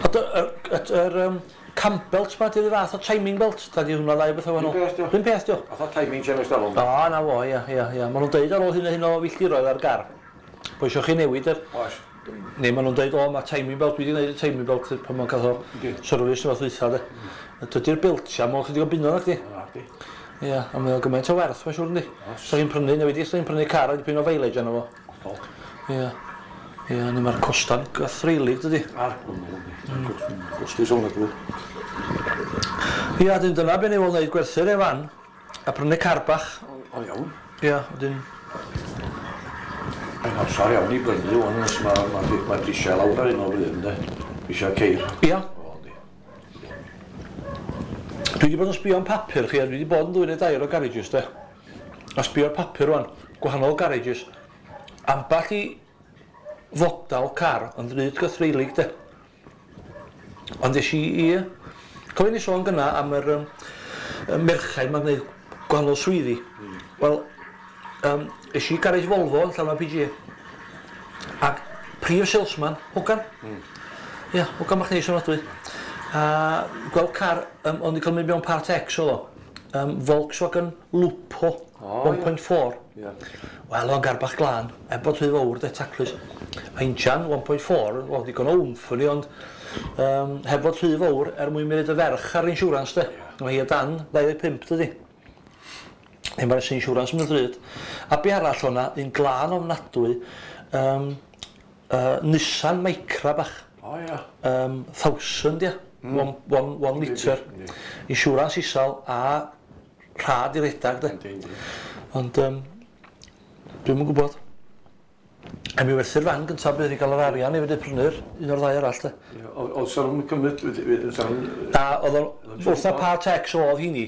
Ond yr cam belt ma, di'r fath o timing belt, ta di hwnna ddau beth o wahanol? Un peth, dio. Un peth, dio. Fatha timing chain ers talwm. O, na fo, ia. Maen nhw'n deud ar ôl hyn a hyn o filltiroedd ar gar, bo eisiau chi newid yr... Oes. Neu maen nhw'n deud, o, mae timing belt, dwi wedi gwneud y timing belt pan mae'n cael o service neu fath dwytha, de. Dydy'r beltia, mae'n chydig o bunnoedd, nacdi? Nacdi. Ia, a mae o'n gymaint o werth, mae'n siŵr, yndi? Sa chi'n prynu, newid i, sa chi'n prynu car a dipyn o mileage arno fo. Hollol. Ia. Ia, ni mae'r costa'n gythreulig, dydy? Ar. Costus ofnadwy. Ia, dyn dyna be ni fod wneud, gwerthu'r e fan, a prynu car bach. O, iawn. Ia, wedyn... Mae'n amser iawn i brynu wan, os ma prisiau lawr ar hyn o bryd, yndê? Prisiau ceir. Ia. O, yndi. Dwi wedi bod yn sbio am papur chi, a dwi wedi bod yn ddwy neu dair o garages, de. A sbio ar papur rwan, gwahanol garages. Amball i fodal car yn ddrud gythreulig, de. Ond es i i... Cofio ni sôn gynna am yr merchaid ma'n gwneud gwahanol swyddi. Wel, es i garage Volvo yn Llanfair PG. Ac prif salesman, hogan. Ia, hogan bach neis ofnadwy. A gweld car, ond i cael mynd mewn part X oedd o. Volkswagen Lupo, 1.4. Wel, o'n gar bach glân, er bod rhy fawr, de, taclus. A injan 1.4, wel, digon o wmff yn i, ond heb fod rhy fawr er mwyn mynd y ferch ar insurance, de. Mae hi o dan 25, dydi. Neu mae'r insurance yn mynd ddrud. A be arall o'na, un glân ofnadwy, Nissan Micra bach. O, ia. 1000, ia. 1 litre. Insurance isal a rhad i redag, de. Yndi, yndi. Ond dwi'm yn gwybod. A mi werthu'r fan gyntaf bydd i gael yr arian i fynd i prynu'r un o'r ddau arall, de. Ie, oedd sa nhw'n cymryd, sa nhw'n... Na, oedd o'n... Wrth na part X oedd hini,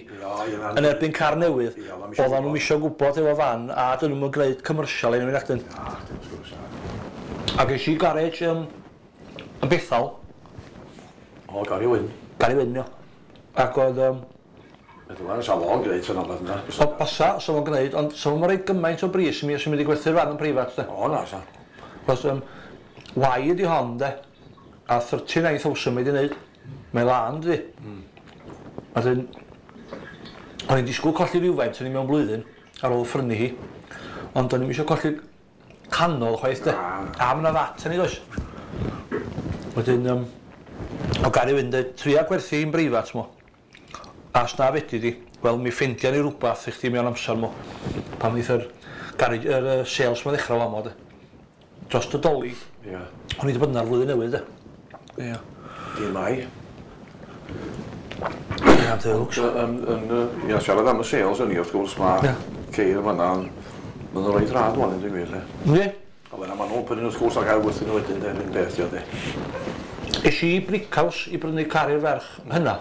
yn erbyn car newydd, Ie, oedd o'm isio oedden nhw'n gwbod. isio gwybod efo fan, a dyn nhw'n gwneud commercial un o'r acdyn. Ia, wrth gwrs, ia. Ac es i garej yn Bethal. O, Gary Wyn. Gary Wyn, ia. Ac oedd... Meddwl ar y sa fo'n gwneud sy'n anodd yna. O, basa, sa fo'n gwneud, ond sa fo'n rhoi gymaint o bris i mi os i'n mynd i gwerthu'r fan yn preifat, de. O, na, sa. Cos, Y ydi hon, de, a 39,000 mae di wneud. Mae lân, dydi. A dyn, o'n i'n disgwyl colli rhywfaint o'n i mewn blwyddyn ar ôl ffrynu hi, ond o'n i'm eisiau colli canol chwaith, de. Na. A ma' 'na fat yn ei does. Wedyn, o Gary Wyn deud, tria gwerthu hi'n breifat mo. A os na fedri di, wel mi ffeindia ni rwbath i chdi mewn amser mo. Pan ddeith yr garage, yr sales ma ddechrau famo, de. Dros y Dolig. O'n i wedi bod yna'r flwyddyn newydd, de. Ia. Dydd Mai. Ia, dewch. Ia, siarad am y sales yn i, wrth gwrs, mae ceir yn fan'na, maen nhw'n reit rhad wan, yn digwydd, le. Yndi? A wedyn maen nhw'n prynu wrth gwrs ac ail werthu nhw wedyn, de, yr un beth, de. Es i i Brickhouse i brynu car i'r ferch hynna.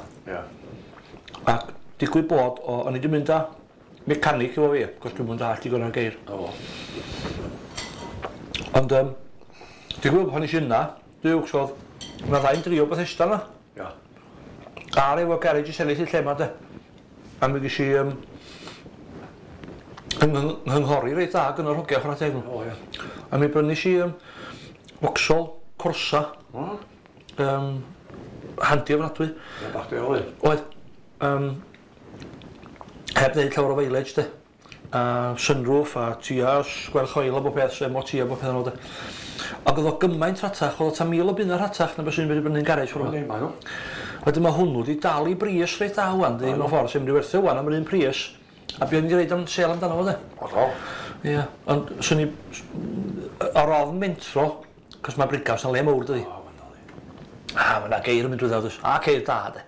Ac digwydd bod, o'n i wedi mynd â mechanic efo fi, cos dwi'm yn dallt digon ar geir. Ond, digwydd bod pan es i yna, dwi'n wrth oedd, yna ddau'n drio Bethesda yna. Ar efo garage i sefyll i lle ma, de. A mi ges i nghynghori reit dda gyda'r hogia chwarae teg nhw. O, ia. A mi brynu i Vauxhall Corsa. O. Handi ofnadwy. Ie, bach di oedd. Oedd. Heb wneud llawer o mileage, de. A sunroof a tua sgwel choil a bob peth, so MOT a bob peth yn ôl, de. Ac oedd o gymaint rhatach, oedd o ta 1,000 o bunna rhatach na beth sy'n mynd i brynu'n garej ffordd yma. Yndi, mae nhw. Wedyn mae hwnnw wedi dal i bris reit dda wan, di, mewn ffordd, sy'n mynd i werthu wan am yr un pris. A be o'n i wedi roid am sêl amdano fo, de. Hollol. Ie, ond swn i... Ar ofn mentro, cos mae Brighouse yn le mawr, dydi. O, ma'n dal i. A, mae 'na geir yn mynd drwyddo, does. A ceir da, de.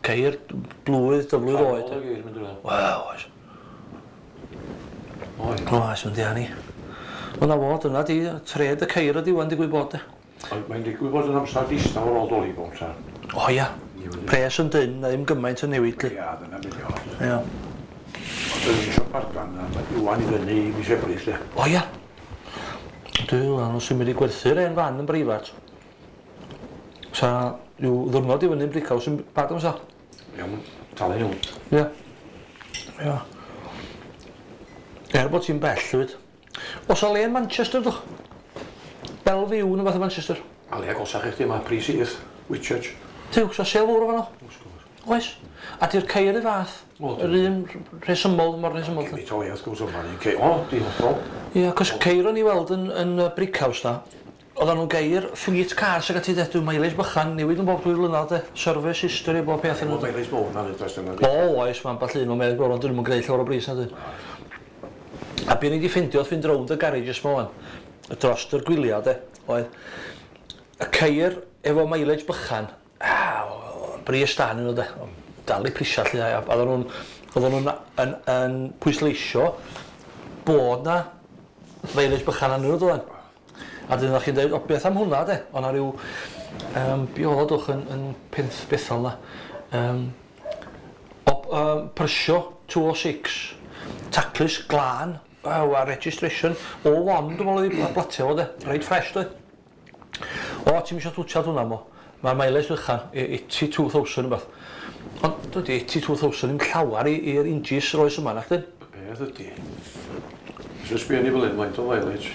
Ceir blwydd, dyflwydd oed. Canol y geir yn mynd drwyddo. Wel, oes. Oes. Oes, mae'n dianu. Wel, na fo, dyna di, tred y ceir ydi wan digwydd bod, de. Ond mae'n digwydd bod yn amser distaw ar ôl Dolig bob amser. O ia, pres yn dynn, na ddim gymaint yn newid, li. Ia, dyna beth yw. Ia. Ond dwi'n eisiau pargan, a wan i fyny i mis Ebrill, le. O ia. Dwi'n meddwl, os yw'n mynd i gwerthu'r hen fan yn breifat, sa rhyw ddwrnod i fyny'n Brighouse yn bad amser. Iawn, talu iawn. Ia. Ia. Er bod ti'n bell, hefyd. Oes 'na le yn Manchester, dwch? Bellevue, neu fath o Manchester. A le agosach i chdi, mae pris syth. Whitchurch. Tiw, so sale fawr o fanno? Oes. A di'r ceir y fath? Yr un rhesymol, mor rhesymol. Gymaint o le, wrth gwrs, o'ma un ceir. O, di hollol. Ia, cos ceir o'n i weld yn Brickhouse na, oedden nhw'n geir fleet cars ac ati de, dwi'n mileage bychan, newid yn bob 2 blynedd de, service history, bob peth yn nhw. Mileage mowr na nid oes dyna. O, oes, mae'n ambell un o mileage mowr, ond dyn nhw'n gwneud llawer o bris na dyn. A be ni wedi ffindio wrth fynd rownd y garages ma wan, dros yr gwyliau de, oedd y ceir efo mileage bychan, bris da nhw de, dal i prisiau lly, a oedden nhw'n yn pwysleisio bod na mileage bychan arnyn nhw doedden. A dyn chi'n dweud, o beth am hwnna de, o'na rhyw, be oedd o dwch yn Penth Bethel na, Peugeot 206, taclus glân, a registration, 01, dwi'n meddwl oedd i blatio fo de, reit fresh dwi. O, ti'n isio twtsiad hwnna mo, mae'r mileage bychan, 82,000 rhywbeth. Ond dydy 82,000 ddim llawer i'r injis roes yma, nac dyn? Beth ydy? Isio sbio ni fel hyn, faint o mileage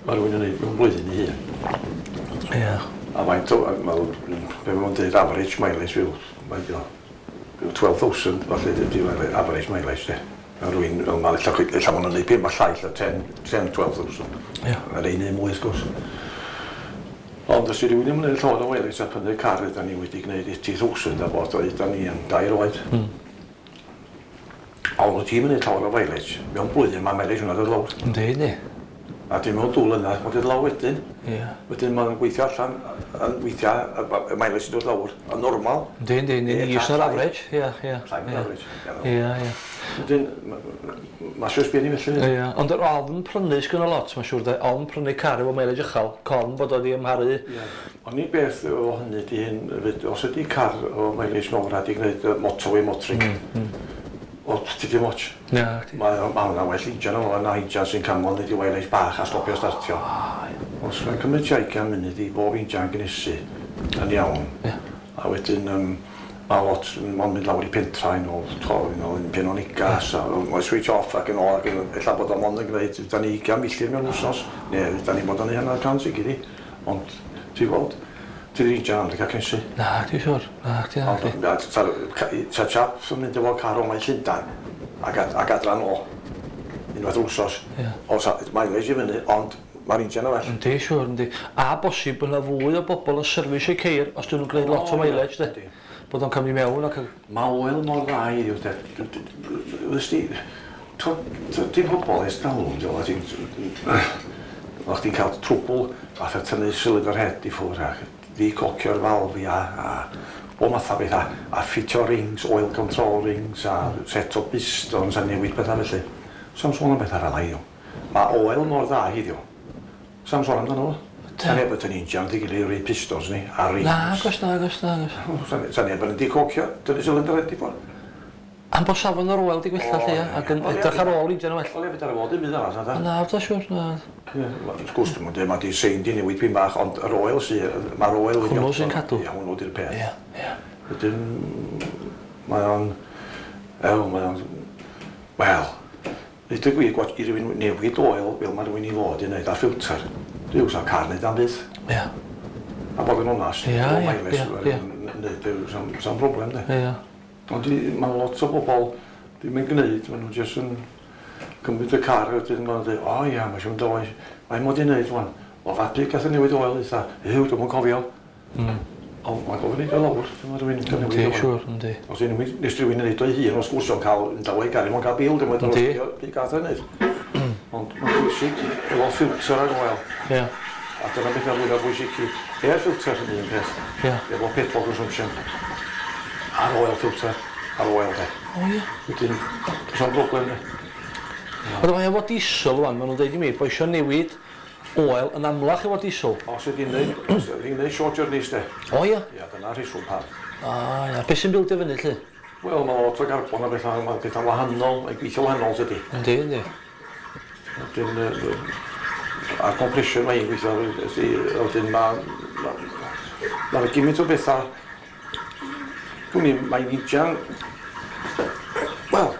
mae rhywun yn neud mewn blwyddyn i hun. Ie. A faint o, be maen nhw'n dweud average mileage fyw, faint o, 12,000 falle ydy average mileage de. Mae rhywun, fel ma, ella maen nhw'n neud 5 a llai, ella 10, 12,000. Ie. Mae'r un un mwy, wrth gwrs. Ond os yw rhywun yn gwneud llawer o mileage a prynu car yda ni wedi gwneud 80,000 a bod o yda ni yn 2 oed. Ond wyt ti'n mynd llawer o mileage, mewn blwyddyn mae mileage hwnna dod lawr. Yndi, yndi. A dim mewn 2 mlynedd, mae'n dod lawr wedyn. Ie. Wedyn mae'n gweithio allan, yn weithiau, y mileage yn dod lawr, yn normal. Yndi, yndi, yndi, is na'r average, ie, ie. Llai na'r average. Ie, ie. Wedyn, mae eisiau sbio ni felly. Ie, ond yr ofn prynu sgyn o lot, mae'n siŵr de, ofn prynu car efo mileage uchel, corn bod o di ymharu. Ie. Ond i beth o hynny di hyn, os ydi car o mileage mawr a di gwneud motorway motoring, o, ti dim ots. Na. Mae hwnna well injan o na injan sy'n camol nid i mileage bach a stopio startio. Os mae'n cymryd 20 munud i bob injan gynhesu yn iawn. A wedyn mae lot mae'n mynd lawr i pentra yn ôl, yn Penonigas, a mae'n switch off ac yn ôl, ac ella bod o'n mond yn gwneud, da ni 20 milltir mewn wsos, neu da ni bod yn 100 i gyd i. Ond, ti'n gweld, ti'n injan am cael cynhesu. Na, ti'n siŵr. Na, ti'n na. Ta chap sy'n mynd efo car o mae Llundain ac adran o unwaith yr wsos. Os mileage i fyny, ond mae'r injan yn well. Yndi, siŵr, yndi. A bosib bod yna fwy o bobl yn service eu ceir os dyn nhw'n gwneud lot o mileage, de. Bod o'n cymryd mewn ac... Mae oil mor dda i ddiw, de. Wnes di... Dim pobl ers dalwm, ti'n... O'ch ti'n cael trwbl, fatha tynnu cylinder head i ffwrdd ac decocio'r falfia a bob math o bethau, a ffitio rings, oil control rings, a set o pistons a newid pethau felly. Sa'm sôn am bethau fel heddiw. Mae oil mor dda heddiw. Sa'm sôn amdano fo. Sa neb yn injan di gilydd rei pistons ni, a rings. Na, agos, na, agos, na, agos. Sa neb yn decocio, tynnu cylinder head i ffwrdd. Am bod safon yr oil di gwella lle, ac yn edrych ar ôl injan yn well. O le, fedar fod dim byd arall, na da. Na, da siŵr, na. Wrth gwrs, dwi'n mynd, mae di sein di newid pyn bach, ond yr oil sydd, mae'r oil... Hwnnw sy'n cadw. Ie, hwnnw di'r peth. Ie, ie. Wedyn, mae o'n... Ew, mae o'n... Wel, nid y gwir, i rywun newid oil fel mae rhywun i fod i wneud, a ffilter. Dwi'n sa'n car wneud am byth. Ie. A bod yn onast, ie, ie, ie. Sa'n broblem, de. Ie. Ond mae lot o bobl ddim yn gwneud, maen nhw jyst yn cymryd y car a wedyn maen nhw'n dweud, o ia, mae eisiau mynd oes, mae'n mod i wneud wan. O fabi gath y newid oil eitha, yw, dwi'm yn cofio. Ond mae'n gofyn i o lawr, dyma rhywun yn newid oil. Yndi, siŵr, yndi. Os nes rhywun yn neud o'i hun, os gwrs o'n cael yn dawa i gario, mae'n cael bil, dwi'n meddwl, byd gath o'n neud. Ond mae'n bwysig efo ffilter ag oil. Ie. A dyna beth yw'r fwyaf bwysig i. Air filter yn un peth. Ie. Efo petrol consumption. A'r oil filter, a'r oil de. O ie. Wedyn, does na'm broblem de. Ond mae efo diesel wan, maen nhw'n dweud i mi, bod eisiau newid oil yn amlach efo diesel. Os ydy'n neud short journeys de. O ie? Ie, dyna rheswm pam. A ia, beth sy'n bildio fyny lly? Wel, mae lot o garbon a bethau, mae pethau wahanol, mae'n gweithio wahanol tydi. Yndi, yndi. Wedyn, a'r compression mae'n gweithio, wedyn mae... Mae'n gymaint o bethau. Dwi'n mae'n injan... Wel,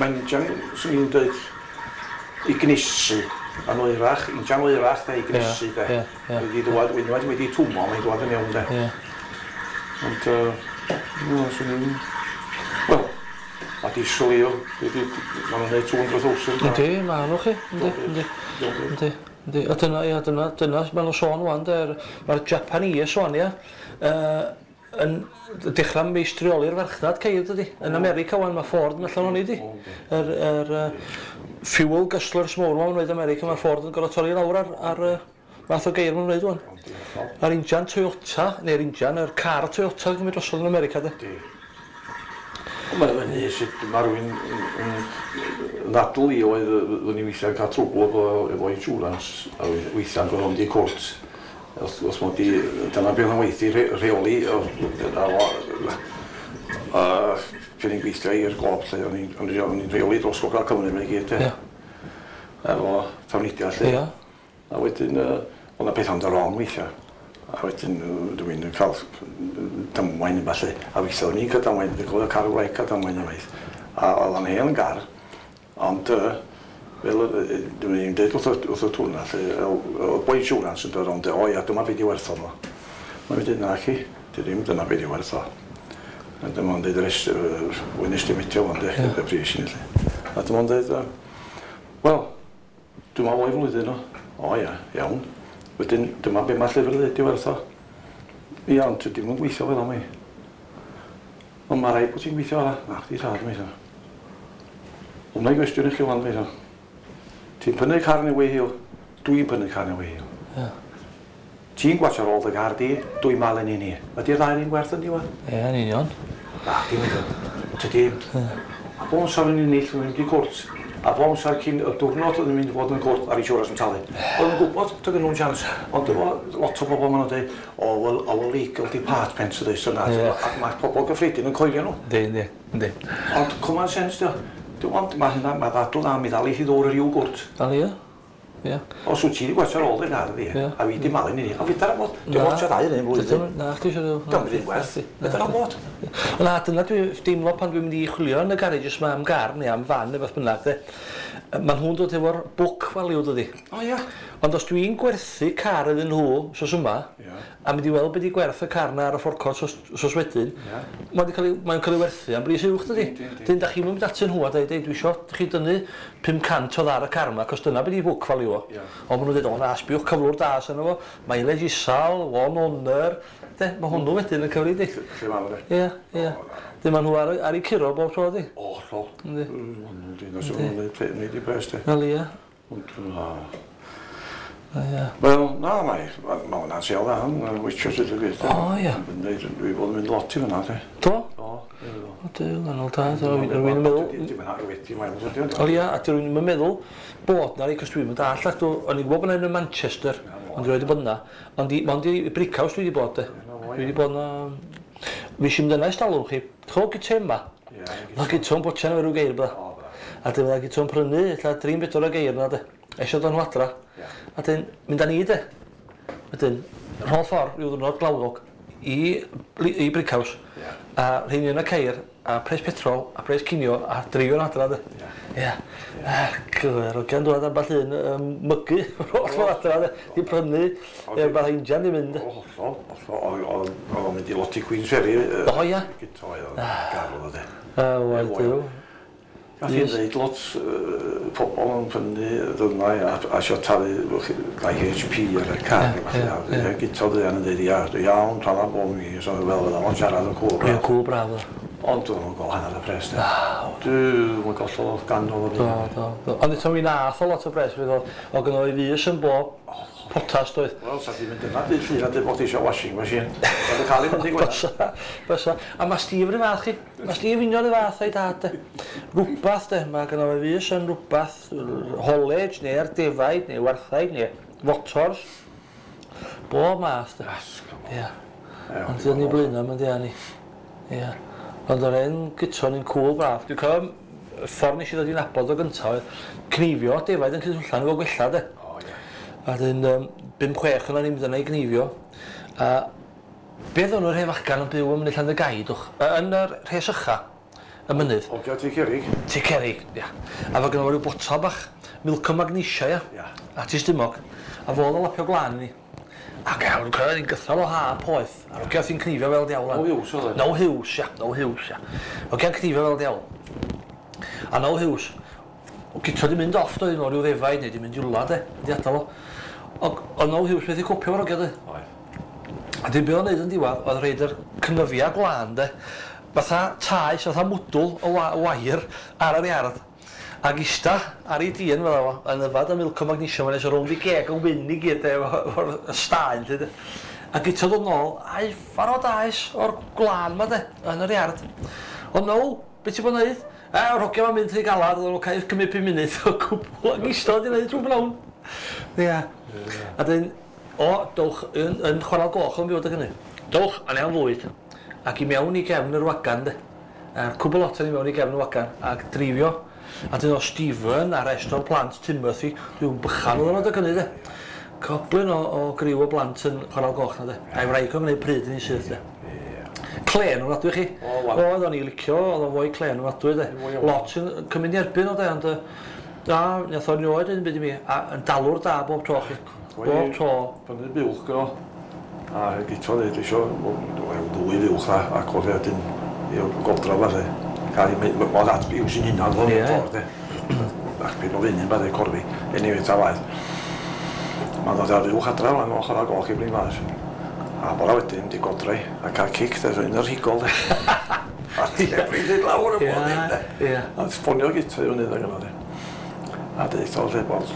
mae'n injan, swn i'n dweud, i gnesu yn oerach, injan oerach de, i gnesu de. Ie, ie. Wedi dŵad, unwaith wedi twmo, mae'n dŵad yn iawn de. Ie. Ond, no, swn i'n... Wel, a diesel i o. Maen nhw'n neud 200,000. Yndi, maen nhw chi. Yndi, yndi. Yndi, yndi. A dyna, ia, dyna, maen nhw'n sôn wan, de, mae'r Japanese wan, ia, yn dechrau meistrioli'r farchnad ceir, dydy. Yn America wan, mae Ford yn allan o'n i, di. Yr fuel guzzlers mowr ma'n wneud America, mae Ford yn gorfod torri lawr ar math o geir ma'n wneud wan. A'r injan Toyota, neu'r injan, yr car Toyota yn cymryd drosodd yn America, de. Mae'n fyny sut mae rhywun yn ddadl i oedd fyddwn i weithiau'n cael trwbl efo insurance a weithiau'n gorfod mynd i cwrt. Os mod i, dyna beth o'n weithio rheoli, pryd i'n gweithio i'r Gob, lle o'n i'n rheoli dros Gogledd Cymru mae'n gyd, efo trafnidiaeth, lle. A wedyn, oedd 'na pethau'n dod wrong weithiau. A wedyn dwi'n cael damwain yn falle. A weithiau o'n i'n cael damwain, dwi'n cofio car wraig cael damwain yn waith. A oedd o'n hen gar, ond fel dwi'n dweud wrth y twrna, lle, oedd boi insurance yn dod rownd, o ia, dyma beth i werth o. Mae'n dweud, na chi, di ddim dyna beth i werth o. A dyma o'n dweud, wy'n estimatio fo'n dweud, y pris i ni, lle. A dyma o'n dweud, wel, dwi'n meddwl o'i flwyddyn o. O ia, iawn. Wedyn, dyma be mae'r llyfr dweud i werth o. Ia, ond ti ddim yn gweithio fel am i. Ond mae rhaid bod ti'n gweithio fel Na, chdi rhad, mi. Ond mae'n gwestiwn i chi wan, mi. Ti'n prynu car neu hiw? Dwi'n prynu car neu hiw. Ti'n gwatio ar ôl dy gar di, dwi'n malu ni ni. Ydy'r ddau'r un gwerth yn diwedd? Ie, yn union. Na, dim yn. Tydi. A bob amser yn ennill, yn mynd i cwrt. A bob amser cyn y diwrnod oedd yn mynd i fod yn cwrt a'r insurance yn talu. Oedd yn gwybod, doedd nhw'n chance. Ond efo lot o bobl maen nhw'n dweud, oh, well, our legal department this and that. Ac mae pobl gyffredin yn coelio nhw. Yndi, yndi. Ond common sense, dio. Ond mae hynna, mae ddadl na, mi ddal i chi ddod yr i'w gwrt. Dal i, ie. Os wyt ti wedi gwatsio ar ôl dy gar fi, a fi di malu ni, a fedar am fod, dwi'n watcha ddau yn un blwyddyn. Na, chdi eisiau... Dwi'n mynd werth, fedar am fod. Na, dyna dwi'n deimlo pan dwi'n mynd i chwilio yn y garages yma am gar neu am fan neu beth bynnag, de. Mae nhw'n dod efo'r book value, dydy. O ia. Ond os dwi'n gwerthu car iddyn nhw, sos yma, a mynd i weld beth i gwerth y car na ar y forecourt sos wedyn, mae'n cael ei werthu am bris uwch, dydy. Dyn, da chi'n mynd atyn nhw a dweud, dwi isio chi dynnu 500 o ddar y car yma, cos dyna beth i book value o. Ond maen nhw'n dweud, o na, sbiwch cyflwr da sy'n efo, mileage isal, one owner, de, mae hwnnw wedyn yn cyfri di. Lle ma'n fe? Ie, ie. Dyn maen nhw ar eu curo bob tro, di. O, llol. Yndi. Yndi, neud i pres, di. Wel, ie. Wel, na, mae hwnna'n sel dda, yn weithio sydd yn gweithio. O, ie. Dwi bod yn mynd lot i fyna, di. Do? Do. O, dyw, anol da, rwy'n yn meddwl... O, ia, a rwy'n yn meddwl bod na, cos dwi'n mynd all, ac o'n i'n gwybod bod yna yn Manchester, ond dwi'n wedi bod yna, ond i Brickhouse dwi wedi bod, de. Dwi wedi bod yna... Fi eisiau mynd yna i stalwm chi, chw gyte yma. Mae gyto'n botian efo rhyw geir, bydda. A dyn fydda gyto'n prynu, ella 3-4 o geir yna, de. Eisiau dod nhw adra. A dyn, mynd â ni, de. Wedyn, rhôl ffordd, rhyw ddwrnod glawog, i Brickhouse. A rheini yn y ceir, a pres petrol, a pres cinio, a dreifio'n adra, de. Ia. Cyfer, o gan dwad ambell un mygu, rhôl ffordd adra, de. Di prynu, rhywbeth injan di mynd. O, hollol, hollol. Oedd o'n mynd i lot i Queen's Ferry. O, ia. Gyto, oedd o'n garw, de. Wel, dyw. Gath i'n dweud lot pobl yn prynu ddyrnau a eisiau talu 2 HP ar y car. Gyto ddian yn dweud, ia, iawn, tala bob mi, so fel fydda fo'n siarad yn cwl braf. Ie, cwl braf. Ond dwi'n nhw'n gweld hanner y pres, de. Dwi'n nhw'n gollodd ganol o byd. Do, do. Ond eto mi nath o lot o bres, o gynno i fus yn bob potas, doedd. Wel, sa ti'n mynd yna, dydd llun a dweud bod eisiau washing machine. Sa ti'n cael ei mynd i gwella. Bysa. A mae Steve yr un fath chi. Mae Steve union y fath o'i dad, de. Rwbath, de. Mae gynno fe fus yn rwbath, haulage, neu ar defaid, neu warthaig, neu motors. Bob math, de. Ia. Ond dyn ni blaenau, mae'n di ni. Ia. Ond o'r un gyton yn cwl braf. Dwi'n cofio ffordd nes i ddod i nabod o gyntaf oedd cneifio defaid yn Cydwllan efo gwella, de. A dyn 5-6 yna ni'n mynd yna i gneifio. A beth o'n nhw'r hen fachgan yn byw yn mynydd Llandygai, dwch? Yn yr rhes ycha, y mynydd. Ogia Tŷ Cerrig. Tŷ Cerrig, ia. A fo gynno fo ryw botel bach, milk o magnesia, ia. A ti stumog. A fo oedd o lapio glân i ni. Ac iawn, cyrraedd i'n gythral o ha poeth. A'r hogia sy'n cnifio fel diawl. Now Hughes oedd e? Now Hughes, ia. Now Hughes, ia. Hogia'n cnifio fel diawl. A Now Hughes, o Guto di mynd off doedd efo ryw ddefaid neu di mynd i wla de, di adael o. Ond oedd Now Hughes methu copio efo'r hogia de. Oedd. A dyn be o'n neud yn diwedd oedd rhoid yr cnyfia gwlân de, fatha taes, fatha mwdwl o wair ar yr iard. Ac ista ar ei dîn fel fo, yn yfad y milk o magnesium yn eisiau rownd i geg yn wyn i gyd de, efo'r staen lly de. A Guto ddod nôl, a'i ffarw daes o'r gwlân ma de, yn yr iard. Ond no, be ti bod yn neud? E, yr hogia ma'n mynd rhy galad, oedden nhw'n cael cymryd 5 munud o gwbl ac ista wedi neud trwy bnawn. Ia. A dyn, o, dowch yn Chwarel Goch yn byw adeg hynny. Dowch, a am fwyd. Ac i mewn i gefn yr wagan de. A'r cwbl lot i mewn i gefn y wagan ac dreifio. A dyn o Stephen a rest o'r plant Timothy, rhyw bychan oedd yn adeg hynny de. Coblyn o griw o blant yn Chwarel Goch na de. A'i wraig o'n gwneud pryd yn ei syth de. Clên o'n adwy chi. Oedd o'n i licio, oedd o'n fwy clên o'n adwy de. Lot yn cymryd i erbyn o de, ond na, nath o'n rioed yn byd i mi, a yn dalwr da bob tro chi. Bob tro. Fyny'r buwch gyno. A Guto dweud isio ddwy fuwch na, ac oedd wedyn i'r godra falle. Cael ei oedd at byw sy'n hunan o'n ffordd de. Ac byd o fyny falle corfi, anyway ta waeth. Mae'n dod ar fuwch adra lan o Chwarel Goch i Bryn Glas. A bora wedyn di godra i, a cael cic de, un o'r rhigol de. A di ebrin dweud lawr y bod ddim de. A ffonio Guto i fyny dda gyno de. A deud o lle bod,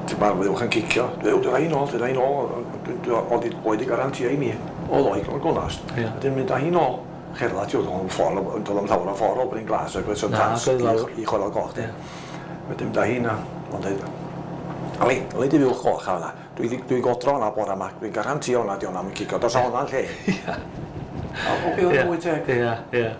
ti'n barod fuwch yn cicio. Dweud, dwi'n rhaid nôl, dwi'n rhaid nôl. Oedd i garantio i mi. Oedd o'i gonast. A dyn mynd â hi nôl. Cherddad, oedd o'n ffordd, oedd o'n llawer o ffordd o Bryn Glas, ac oedd o'n tas i Chwarel Goch. Wedyn mynd â hi na, ond dweud, Ali, ali di fuwch goch a hwnna. Dwi godro hwnna bora yma, dwi'n garantio hwnna di hwnna yn cicio, dos o hwnna'n lle. O, be oedd mwy teg? Ia, ia.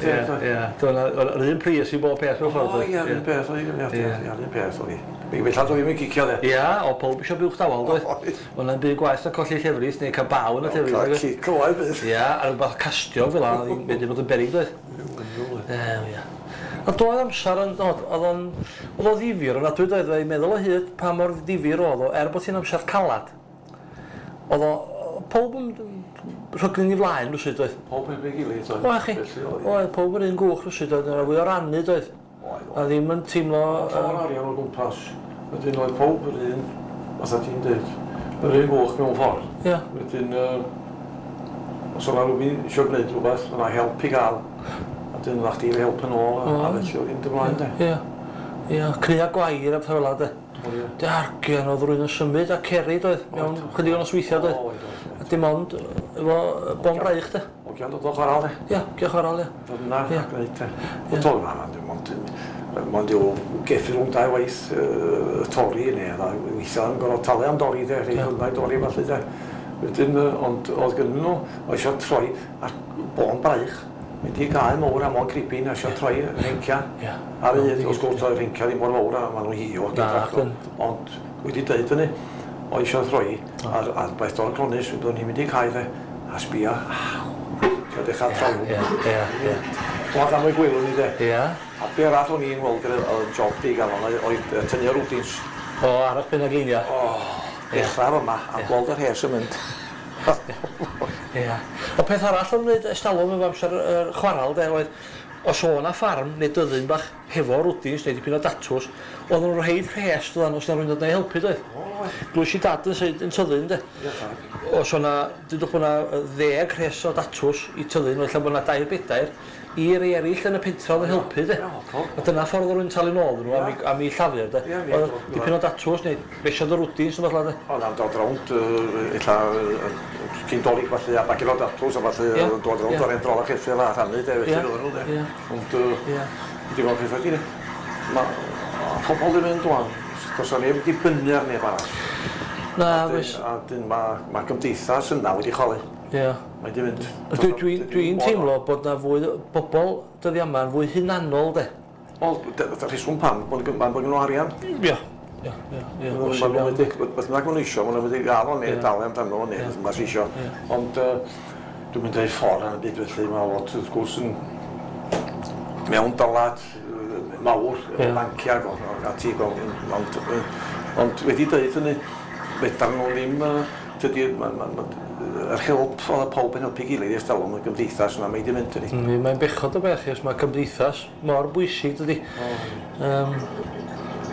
Ia, yr un pris i bob peth mewn ffordd. O, ia, yr un peth oedd hi, ia, yr un peth oedd hi. Felly oedd ddim yn cicio de. Ia, o pob eisiau buwch dawel, doedd. Oedd yna'n byd gwaith na colli llefrith neu cael baw yn y llefrith. Cael cic o waith bydd. Ia, a rhywbeth castio fel yna, oedd wedi bod yn berig, doedd. Ia. A doedd amser yn, oedd o'n ddifyr, ond adwy doedd, fe'n meddwl o hyd pa mor ddifyr oedd o, er bod hi'n amser calad. Oedd o, pob yn rhyglu'n i flaen rwsyd oedd. Pob yn ei gilydd oedd. Oedd chi, oedd pob yn un gwch rwsyd oedd, yna fwy o rannu doedd. A ddim yn teimlo... Llawer arian o gwmpas. Wedyn oedd pob yr un, fatha ti'n dweud, yr un gwch mewn ffordd. Ia. Wedyn, os oedd rhywun eisiau gwneud rhywbeth, oedd yna help i gael. A dyn oedd chdi help yn ôl, a felly oedd hi'n ymlaen de. Ia. Ia, crea gwair a pethau fel 'na de. Dargian oedd rhywun yn symud a cerid oedd, mewn chydig o nosweithiau doedd. A dim ond efo bon braich de. Ogian dod o chwaral de. Ia, ogian chwaral, ia. Dod yna a gwneud de. Ond toedd yna, dim ond yw geffi rhwng dau waith torri neu weithiau yn gorfod talu am dorri de, rhai hwnna i dorri falle de. Wedyn, ond oedd gynnu nhw, oedd eisiau troi ar bon braich, mynd i gae mowr a mon cribin a eisiau troi rhencia. Ar un, wrth gwrs oedd rhencia ddim mor fawr a maen nhw'n hio. Ond wedi dweud hynny, oedd eisiau troi ar beth o'r clonus, oedden ni'n mynd i cae de, a sbia, eisiau dechrau troi. Oedd am y gwylwn ni de. A be arall o'n i'n weld gyda job di gael oedd tynnu o'r rwdins. O, arall pen glinia. O, dechrau yma a gweld yr hes yn mynd. Ia. O peth arall o'n wneud estalwm efo amser yr chwaral de oedd os o' 'na ffarm neu dyddyn bach hefo rwdins neu dipyn o datws, oedden nhw'n rhoid rhes doeddan os 'na rywun dod 'na i helpu doedd. Glwys i dad yn seid yn tyddyn de. Os o' 'na, dudwch bod 'na 10 rhes o datws i tyddyn, ella bod 'na 2 4 i rei eraill yn y pentra oedd yn helpu de. A dyna ffordd oedd rhywun talu nôl iddyn nhw am eu llafur de. Oedd dipyn o datws neu besiad o rwdins neu beth de. Oedd am dod rownd ella cyn Dolig falle a bagin o datws a falle dod rownd o'r endrol a cheffyl a rhannu de felly oedden nhw de. Ond wedi gweld pethau di. Mae pobl yn mynd wan, does 'na neb wedi dibynnu ar neb arall. Na, oes. A dyn mae gymdeithas yna wedi chwalu. Ie. Mae di mynd. Dwi'n teimlo bod na fwy bobl dyddiau yma yn fwy hunanol de. Wel, rheswm pam, bod gen nhw arian. Ia. Ia, ia, ia. Maen nhw'n mynd i, beth bynnag maen nhw isio, maen nhw'n mynd i gael o neu dalu amdano fo neu beth bynnag sy isio. Ond dwi'n mynd i'r ffordd yn y byd felly, mae lot wrth gwrs yn mewn dylad mawr, efo banciau ac ati, ond wedi dweud hynny, Fedar nhw ddim, tydi, yr help oedd pawb yn helpu gilydd ers talwm, y gymdeithas yna, mae di mynd, tydi. Mae'n bechod o beth, chos mae cymdeithas mor bwysig, dydi.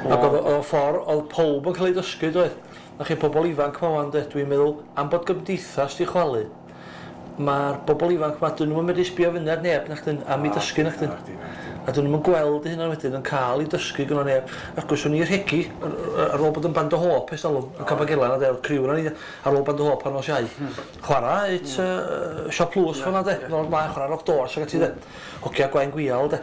Ac oedd o ffordd, oedd pawb yn cael ei dysgu, doedd. A chi pobl ifanc ma wan, dwi'n meddwl, am bod gymdeithas di chwalu, mae'r bobl ifanc ma, dyn nhw'n medru sbio fyny ar neb, nachdyn, am i dysgu, nachdyn. A dyn nhw'n gweld eu hunan wedyn yn cael ei dysgu gyda neb. Ac gwrs o'n i rhegi ar ôl bod yn Band o Hope ers talwm, yn Cabagelan, a del, criw yna ni, ar ôl Band o Hope ar nos Iau. Chwarae it Siop Lws fan'na de, nôl ymlaen, chwarae Rock Doors ac ati de. Hogia Gwaun Gwial de.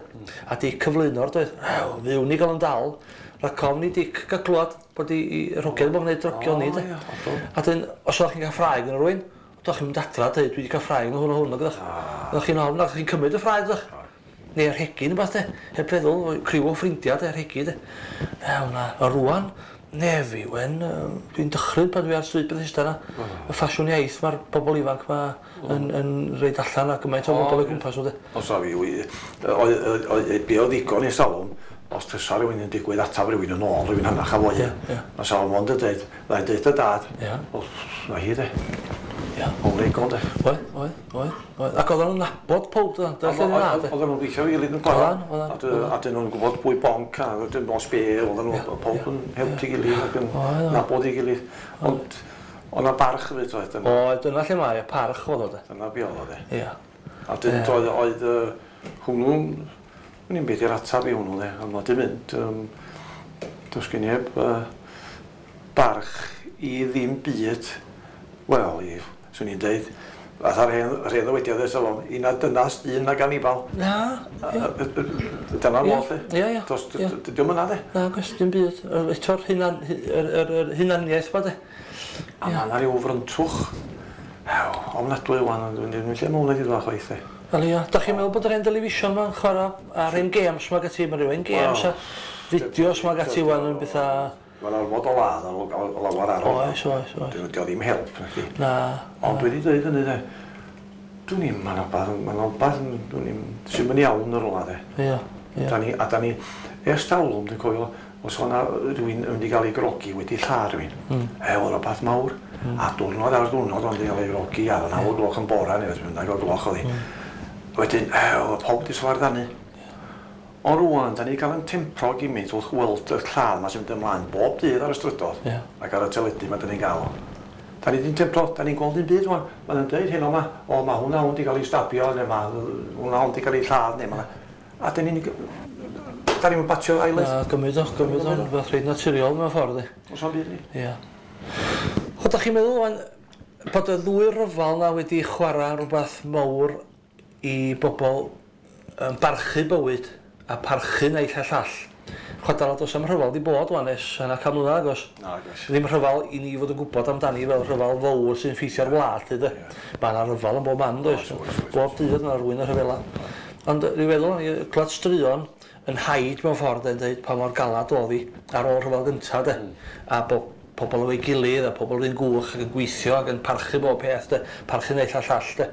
A Dic cyflwyno'r doedd. Fywn ni gael yn dal. Rhac ofn i Dic gael clywed bod i yr hogia ddim yn gwneud drogion ni de. A dyn, os oeddech chi'n cael ffrae gyda rhywun, oeddech chi'n mynd adra a dweud, dwi wedi cael ffrae gyda hwn a hwn, oeddech. Oeddech chi'n ofn, oeddech chi'n cymryd y ffrae, oeddech. Neu yr rhegi neu beth de, heb feddwl, criw o ffrindiau de, rhegi de. Ew na, a rwan, nefi wen, dwi'n dychryn pan dwi ar stryd Bethesda yna. Y ffasiwn iaith mae'r bobl ifanc ma yn reid allan a gymaint o bobl o gwmpas nhw de. Os a fi, be oedd ddigon i salwm, os fysa rhywun yn digwydd atab rhywun yn ôl, rhywun hanach a fwy. Mae salwm ond yn dweud, na i dweud y dad, na hi de. O'n ddigon de. Oedd, oedd, oedd, oedd. Ac oedden nhw'n nabod pob, doedden? Oedden nhw'n gweithio i gilydd yn gwael. A dyn nhw'n gwybod pwy bonc a dyn os be, oedden nhw, pob yn helpu gilydd ac yn nabod i gilydd. Ond oedd 'na barch hefyd, oedd. Oedd, dyna lle mae, y parch oedd o de. Dyna be oedd o de. A dyn oedd hwnnw'n, o'n i'n beth i'r atab i hwnnw de, ond mae di mynd, does gen i heb barch i ddim byd, wel, i, swn i'n deud, fatha'r hen ddywediad ers talwm, i na dynas dyn nag anifal. Na. Dyna'r modd, lle. Ie, ie. Dio'm yna, de. Na, gwrs, dim byd. Eto'r hunaniaeth ma, de. A ma' 'na ryw fryntwch, ofnadwy wan, dwi'n lle mae hwnna wedi dod chwaith, de. Wel ia, da chi'n meddwl bod yr hen television ma'n chwarae a'r hen games ma gati, mae rhyw hen games a fideos ma gati wan yn bethau. Mae'n ormod o ladd o lawer ar hwnna. Oes, oes, oes. Dio ddim help, na chdi. Na. Ond dwi wedi dweud hynny, de. Dwi'n i'n, mae'n rhywbeth, dwi'n i'n, sy'n mynd iawn yn rhywle, de. Ia, ia. A da ni, ers talwm, dwi'n cofio, os o'na rhywun yn mynd i gael ei grogi wedi lladd rhywun, oedd rhywbeth mawr. A diwrnod ar diwrnod o'n wedi cael ei grogi, a 9 gloch yn bora, neu beth bynnag o gloch oedd hi. Wedyn, oedd pawb wedi sfardanu. Ond rŵan, da ni gael yn tempro gymaint wrth weld y lladd ma sy'n mynd ymlaen bob dydd ar y strydodd ac ar y teledu ma da ni'n gael. Da ni di'n tempro, da ni'n gweld un byd rŵan. Maen nhw'n dweud heno ma, o mae hwnna hwn di gael ei stabio, neu mae hwnna hwn di gael ei lladd, neu ma. A da ni'n batio eyelid. Na, gymryd o, rhywbeth reit naturiol mewn ffordd. Oes o'n byd ni. Ia. O, da chi'n meddwl rŵan bod y ddwy ryfel na wedi chwarae rhywbeth mawr i bobl yn barchu bywyd a parchu naill a llall. Chwadal does am rhyfel di bod wan ers yna 100 mlynedd agos. Nagos. Ddim rhyfel i ni fod yn gwybod amdani fel rhyfel fawr sy'n ffeithio'r wlad, lly de. Mae yna rhyfel yn bob man, does? Bob dydd yna rhywun yn rhyfela. Ond dwi'n meddwl, o'n i clywed straeon yn haid mewn ffordd yn dweud pa mor galad oedd hi ar ôl rhyfel gyntaf, de. A bod pobl efo'i gilydd a pobl yn gwch ac yn gweithio ac yn parchu bob peth, de. Parchu naill a llall, de.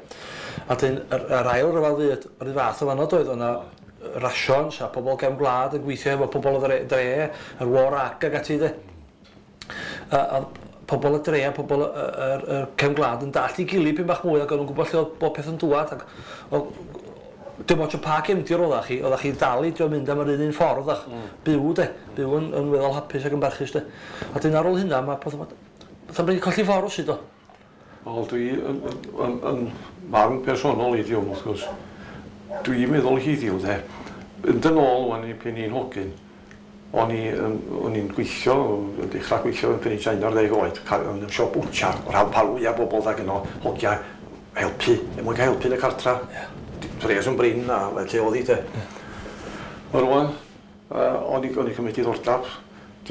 A dyn, yr ail ryfel fyd, yr un fath o fanno doedd, o'na rations a pobl gefn gwlad yn gweithio efo pobl o dre, yr war ag ac ati de. A pobl y dre a pobl y cefn gwlad yn dallt i gilydd pyn bach mwy ac o'n nhw'n gwybod lle oedd bob peth yn dŵad. Ac, dim ots o pa gefndir oeddach chi dal i drio mynd am yr un ffordd ach byw de, byw yn weddol hapus ac yn barchus de. A dyn ar ôl hynna mae fatha wedi colli ffordd sydd o. Wel, dwi yn marn personol i ddiwm, wrth gwrs. Dwi'n meddwl heddiw, de, yn ôl wan i pen i'n hogyn, o'n i'n gweithio, yn dechrau gweithio yn pen i'n 11 oed, yn y siop bwtshar, o'r rhan pa fwyaf bobl dda gyno, hogia helpu, er mwyn cael helpu yn y cartra. Pres yn brin a lle oedd hi, de. Ond rŵan, o'n i'n cymryd diddordeb,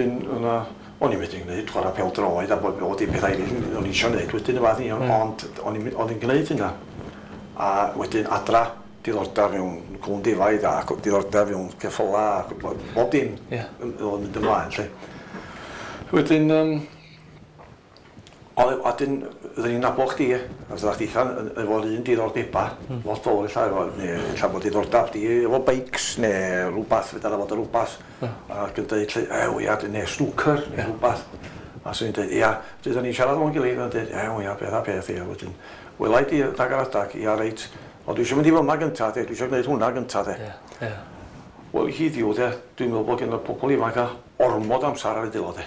dyn yna, o'n i'n medru gwneud chwarae pêl-droed a bod dim pethau eraill o'n i eisiau gwneud wedyn y fath ni, ond o'n i'n gwneud hynna. A wedyn adra, diddordeb mewn cŵn defaid a diddordeb mewn ceffyla a bob dim oedd yn mynd ymlaen, lle. Wedyn, a dyn, oedden ni'n nabod chdi, a oeddech chdi efo'r un diddordeba, lot fawr ella, efo, neu ella bod diddordeb di efo bikes, neu rhywbeth, fedra fod yn rhywbeth, ac yn dweud, lle, ew ia, neu snooker, neu rhywbeth. A swn i'n dweud, ia, dydyn ni'n siarad o'n gilydd, a'n dweud, ia, ia, beth a beth, ia, wedyn, welai di dag ar adag, ia, reit, o, dwi eisiau mynd i fyma gynta, de, dwi eisiau gwneud hwnna gynta, de. Ia, ia. Wel, hiddiw, de, dwi'n meddwl bod gen y pobl ifanc a ormod amser ar eu dwylo, de.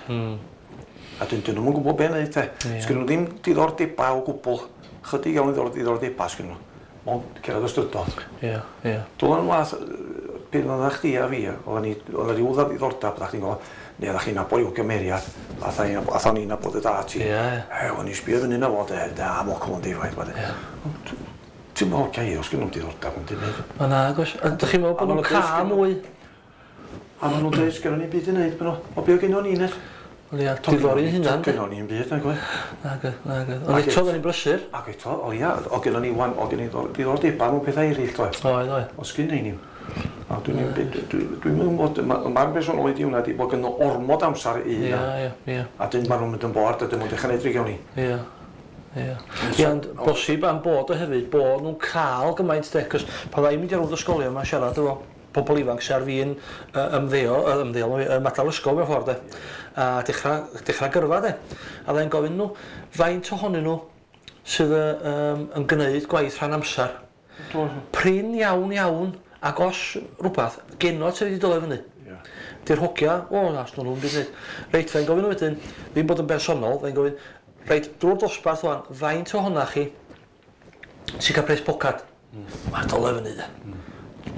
A dyn nhw'n gwybod be wneud, de. Ia. Sgyn nhw ddim diddordebau o gwbl. Chydig iawn o diddordebau sgyn nhw. Mond cerdded y strydoedd. Ia, ia. Dwi'n wath, pryd oedd chdi a fi, oedd ni, oedd rhyw ddiddordeb, oeddach chdi'n gwybod, neu oeddach chi'n nabod ryw gymeriad, atho ni'n nabod y dad ti. Ia, ia. E, o'n i'n sbio fyny na fo, de, da, mo cwn defaid, de. Ia. Ti'n meddwl, gair, os gen nhw'n diddordeb, ond dim byd. O na, agos. A dych chi'n meddwl bod nhw'n cael mwy? A maen nhw'n dweud, sgynnon ni'n byd i wneud, maen nhw, o be o gynnon ni wneud? Wel ia, diddori hunan. Gynnon ni'n byd, nag oedd? Nag oedd, nag oedd. Ond eto, oedden ni'n brysur. Ac eto, o ia, o gynnon ni wan, o gynnon ni diddordebau mewn pethau eraill, doedd? Oedd, oedd. O sgynnon ni. A dwi'n dwi'n meddwl, mae'r bersonol i hwnna di bod gynno ormod amser i hynna. Ia, ia, ia. A dyn maen nhw'n mynd yn bored, a dyn nhw'n dechrau neud drigion ni. Ia. Ia. Ia, ond bosib am bod o hefyd, bod nhw'n cael gymaint de, cos pan dda i'n mynd i rownd ysgolion yma siarad efo pobl ifanc sy'n ar fin ymddeol, ymadael ysgol mewn ffordd de, a dechrau gyrfa de. A dda i'n gofyn nhw, faint ohonyn nhw sydd yn gwneud gwaith rhan amser? Prin iawn iawn, ac os rhywbeth, genod sydd wedi dod fyny. Di'r hogia, o na, os nhw'n byd wneud. Reit, dda i'n gofyn nhw wedyn, ddim bod yn bersonol, dda i'n gofyn, reit, drwy'r dosbarth wan, faint ohona chi sy'n cael pres pocad? Mae'n dole fyny de.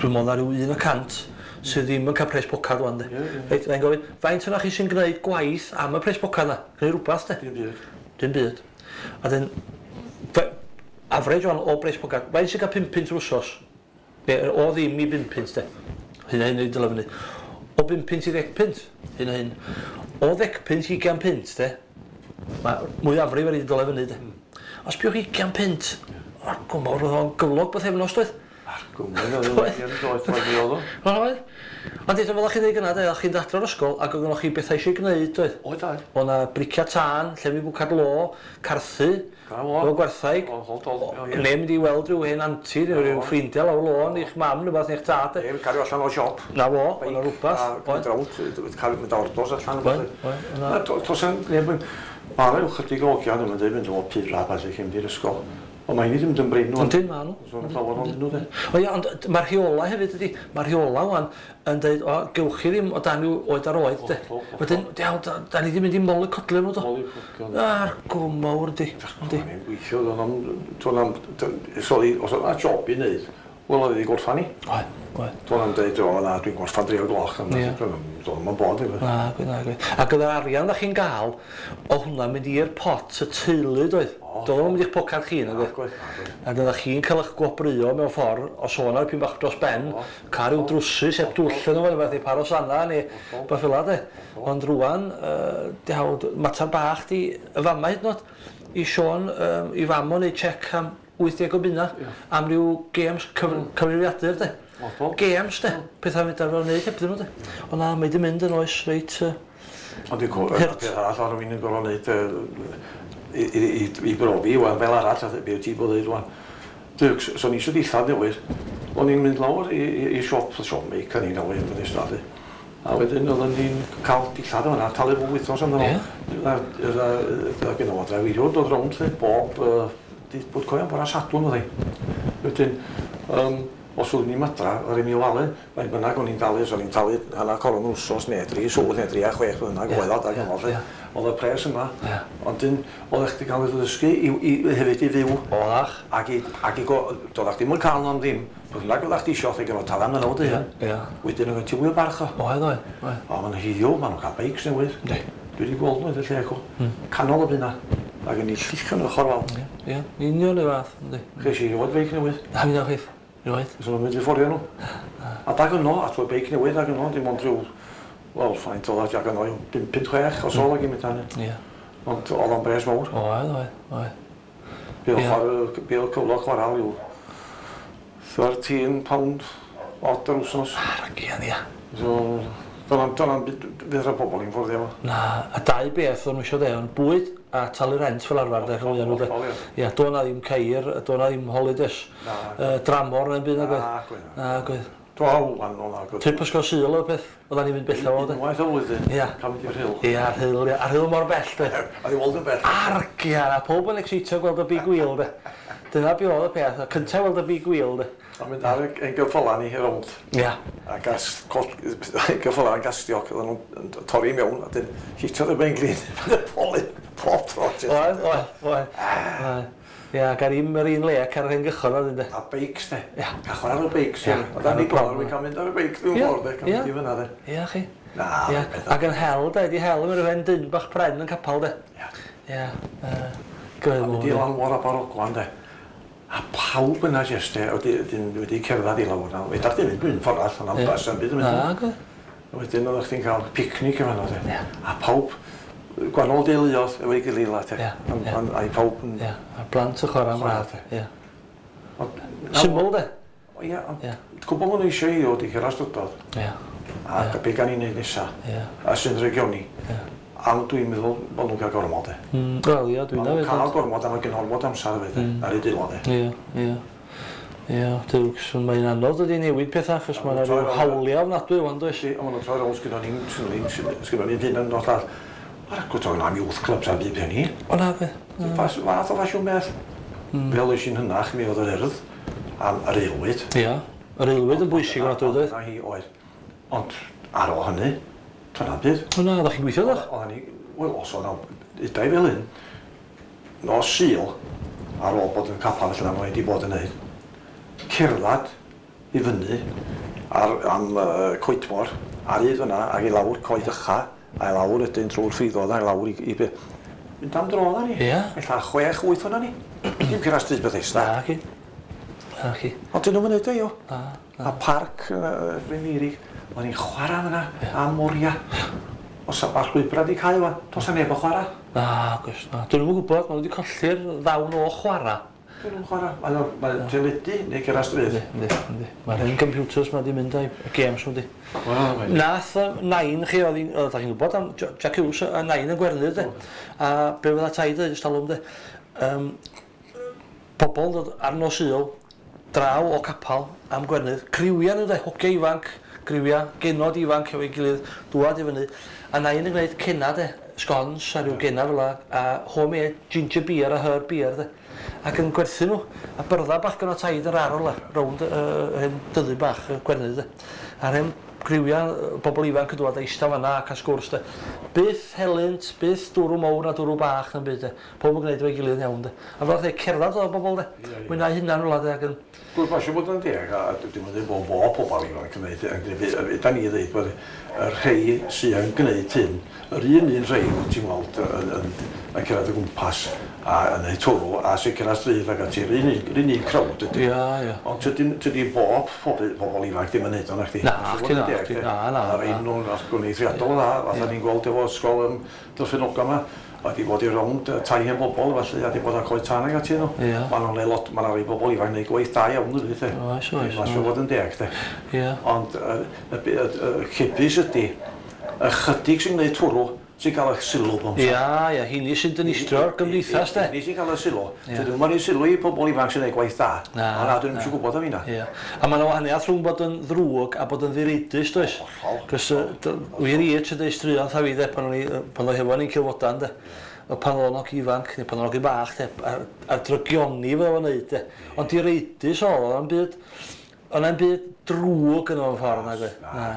Dwi'n meddwl na ryw 1% sydd ddim yn cael pres pocad wan de. Reit, mae'n gofyn, faint ohona chi sy'n gwneud gwaith am y pres pocad na? Gwneud rhywbeth de? Dim byd. Dim byd. A dyn, average wan o pres pocad, faint sy'n cael 5 punt yr wsos? Neu, o ddim i 5 punt de. Hyn a hyn i dyle fyny. O 5 punt i 10 punt. Hyn a hyn. O 10 punt i 20 punt de. Mae mwyafrif ar ei dyle fyny de. Os biwch 20 punt, o'r gwmor oedd o'n gyflog bythefnos doedd. Ar gwmor oedd o'n doedd, oedd o. Oedd. Ond eto fel o'ch chi'n dweud gynna, de, o'ch chi'n dadro'r ysgol ac oedd chi'n bethau eisiau gwneud, doedd? Oedd, oedd. Oedd 'na bricia tân, llefydd bwcad lo, carthu, efo gwerthaig, neu mynd i weld rhyw hen anti, neu rhyw ffrindiau lawr lôn, i'ch mam, neu beth, neu'ch tad. Neu cario allan o siop. Na fo, oedd 'na rhywbeth. Mynd rownd, cael mynd ordors allan. Oedd, oedd. Mae yna ychydig o ogiau yn mynd o pura a ballu cyn mynd i'r ysgol. Ond mae ni ddim yn brin nhw. Yndyn, ma' nhw. So'n llawer ohonyn nhw de. O ia, ond mae'r rheolau hefyd ydi, mae'r rheolau wan yn dweud, o, gewch chi ddim o dan yw oed ar oed de. Wedyn, diawl, da ni ddim mynd i molycodlio nhw do. Molycodlio. Ar gwm mawr yndi. Yndi. O'n i'n gweithio, do'n am, sori, os oedd yna job i wneud, wel oedd wedi gorffan ni. Oedd, oedd. Do'n am dweud, o na, dwi'n gorffan 3 o'r gloch. Do'n am bod. Na, gwyd, na, gwyd. Ac oedd yr arian da chi'n gael, o hwnna'n mynd i'r pot y teulu, doedd? Doedd o'n mynd i'ch pocad chi, nag oedd? A doeddach chi'n cael eich gwobrwyo mewn ffordd, os o'n ar pyn bach dros ben, cael rhyw drwsus heb dwll yn fo, neu par o sanna, neu beth fel 'na, de. Ond rŵan, diawl, mater bach di y fama hyd yn oed, i Siôn, i fam o'n neud check am 80 o bunna, am ryw games cyfrifiadur, de. Games, de. Pethau mynd ar fel wneud hebddyn nhw, de. Ond na, mae di mynd yn oes reit... Ond dwi'n cofio, peth arall o'n rhywun yn gorfod wneud i brofi, wan, fel arall, a be ti bod dweud wan. So ni eisiau dillad newydd, o'n i'n mynd lawr i siop, siop meic yn i'n newydd, yn ystadu. A wedyn oedden ni'n cael dillad o'na, talu bob wythnos amdano. Oedd gen o drafeiriwr dod rownd, bob, bod coian bora Sadwrn oedd hi. Wedyn, os oeddwn i'n madra, oedd i'n ofalu, faint bynnag o'n i'n talu, so o'n i'n talu hanner coron wsos neu 3 swll neu 3 a 6 bynnag oedd o, dag yn ôl, oedd y pres yma, ond oedd chdi cael ei ddysgu hefyd i fyw. Oeddach. Ac i, doeddach chdi'm yn cael nhw am ddim, beth bynnag oeddach chdi isio, chdi gorfod talu amdano fo dy hun. Wedyn oedd gen ti fwy o barch o. Oedd, oedd. O, ma'n hiddiw, maen nhw'n cael beics newydd. Dwi wedi gweld nhw yn y lle acw. Canol y bunna. Ac yn ei lluchio nhw ochr wal. Ie, union y fath, yndi. Ches i rioed beic newydd. Na, mi ddewch chi. Rioed. So nhw'n mynd i fforio nhw. A dag yno, a trwy beic newydd ag yno, dim ond rhyw, wel, ffaint oedd ag yno, 5, 6 os oedd ag i mynd hynny. Ie. Ond oedd o'n bres mawr. Oedd, oedd, oedd. Be oedd cyflog chwarae yw £13 odd yr wsos. Ar y gian, ia. So, dyna'n fydd rhaid pobl i'n fforddio fo. Na, a dau beth o'n nhw eisiau de, ond bwyd a talu rent fel arfer, de, chwilio nhw, de. Ia, doedd na ddim ceir, doedd na ddim holidays, dramor neu'n byd, nag oedd. Na, gwedd. Na, gwedd. Do, wan, o na. Trip ysgol Sul oedd peth, oeddan ni'n mynd bella fo, de. Unwaith o flwyddyn. Ia. Cael mynd i'r Rhyl. Ia, Rhyl, ia. A Rhyl mor bell, de. A di weld yn bell. Argia, a pob yn excitio gweld y big wheel, de. Dyna be oedd y peth, y cyntaf weld y big wheel, de. A mynd ar ein gyffyla ni rownd. Ia. A gas, gyffyla yn gastiog, oedden nhw'n torri mewn, a dyn hitiodd y ben glin, y polyn, pob tro. Oedd, oedd, oedd. Ia, ac ar un, yr un le ac ar yr un gychod oedd de. A beics, de. Ia. Cael chwarae ar y beics. Ia. Ia. Oedden ni gweld, wy'n cael mynd ar y beic dwi'n ffordd, de. Cael mynd i fyna, de. Ia, chi. Na, Ia. Ac yn hel, de, di hel yn rhywun dyn bach pren yn capal, de. Ia. Ia. Gwedd A mynd i lanwar a barogwan, de. A pawb yna jyst, de, wedi cerdded i lawr na. Fedar di mynd un ffordd allan am bus, am byd yn mynd. Na, gwedd. Wedyn oeddech chdi'n cael picnic efo nhw, de. Ia. A pawb gwahanol deuluoedd efo'i gilydd la, te. Ia, ia. A i pawb yn... Ia, a'r blant yn chwarae am rad. Ia. Syml, de. Ia, ond gwbl maen nhw eisiau i ddod i cyrraedd strydoedd. Ia. A be gan i wneud nesa. Ia. A sy'n regioni. Ia. A dwi'n meddwl bod nhw'n cael gormod, de. Wel, ia, dwi'n meddwl. Maen nhw'n cael gormod, a mae gen ormod amser hefyd, de, ar eu deulon, de. Ia, ia. Ia, duwcs, mae'n anodd ydi newid pethau, achos mae'n rhyw hawliau ofnadwy wan, does? Ond maen nhw'n troi rownd, sgynnon ni'n hyn yn o'r llall. Mae'r agwedd o'n am youth clubs a byd hynny. O na, be? Fath o ffasiwn beth. Fel oes i'n hynach, mi oedd yr Urdd am yr aelwyd. Ia, yr aelwyd yn bwysig o'n adwy, doedd? Na hi oedd. Ond ar ôl hynny, dyna'n byd. O na, oeddech chi'n gweithio, ddech? Oedden ni, wel, os oedd udai fel hyn, nos Sul, ar ôl bod yn capel felly na mae wedi bod yn neud, cerdded i fyny ar, am Coetmor, ar hyd fyna, ac i lawr Coed Ycha, a i lawr wedyn trwy'r ffriddoedd, a i lawr i be. Mynd am dro odda ni. Ia. Ella 6-8 o'na ni. Dim cyrraedd stryd Bethesda. Na, ci. Na, ci. Ond dyn nhw'n mynd o, Na, na. A parc Bryn Meirig, o'n i'n chwarae fyna am oriau. Os mae'r llwybrau di cael wan, does na neb yn chwarae. Na, gwrs, na. Dyn nhw'n gwybod, maen nhw wedi colli'r ddawn o chwarae. Dyn nhw'n chwarae. Mae'n teledu neu cyrraedd stryd. Yndi, yndi. Mae'r hen computers ma di mynd a'i games nhw di. Nath nain chi, oedd chi'n gwybod am Jack Hughes a nain yn Gwernydd, de. A be fydda taid dweud ystalwm, de. Pobl dod ar nos Sul, draw o capal am Gwernydd, criwia nhw, de, hogia ifanc, griwia, genod ifanc efo'i gilydd, dŵad i fyny. A nain yn gwneud cenna, de, scones a rhyw genna fel 'a, a homemade ginger beer a herb beer, de. Ac yn gwerthu nhw, a byrdda bach gyda taid yr arol, rownd hen dyddu bach Gwernydd, de. A'r hen griwia bobl ifanc yn dŵad a eistedd fan'na a cael sgwrs, de. Byth helynt, byth dwrw mowr a dwrw bach na'n byd, de. Pob yn gwneud efo'i gilydd yn iawn, de. A fel oedd cerdded oedd bobl, de. Mwynhau hunan rwla, de, ac yn... Gwrs, mae eisiau bod yn deg, a dwi'n mynd i bod bob pobl ifanc yn gwneud, da ni ddweud bod y rhei sydd yn gwneud hyn, yr un rhei wyt ti'n weld yn cyrraedd o gwmpas a yn ei twrw a sy'n cyrraedd stryd ac ati, yr un crowd ydy. Ia, ia. Ond tydi bob pobl ifanc ddim yn neud o'n chdi. Na, chdi na, chdi, na, na. A'r un nhw'n eithriadol dda, fatha ni'n gweld efo ysgol yn Dyffryn yma, a di bod i rownd tai hen bobl, felly, a di bod ar coed tân ag ati nhw. Ia. Mae nhw'n lot, mae rhai bobl ifanc neud gwaith da iawn ydy, de. Oes, oes. Mae'n siŵr fod yn deg, de. Ia. Ond y cebys ydy, ychydig sy'n gwneud twrw, sy'n cael eich sylw bob amser. Ia, ia, hynny sy'n dynistrio'r gymdeithas, de. Hynny sy'n cael eich sylw. Dyn nhw'n rhoi sylw i pobl ifanc sy'n gwneud gwaith da. Na. O na, dyn nhw'n eisiau gwybod am hynna. Ia. A mae yna wahaniaeth rhwng bod yn ddrwg a bod yn ddireidus, does? Hollol. Cos wir i, ti'n dweud straeon tha fi, de, pan o'n hefo ni'n Cilfodan, de. Pan o'n og ifanc, neu pan o'n og bach, de, a'r drygioni fe o'n neud, de. Ond direidus oedd o'n byd, o'n byd drwg yn o'n ffordd, nag oedd? Na,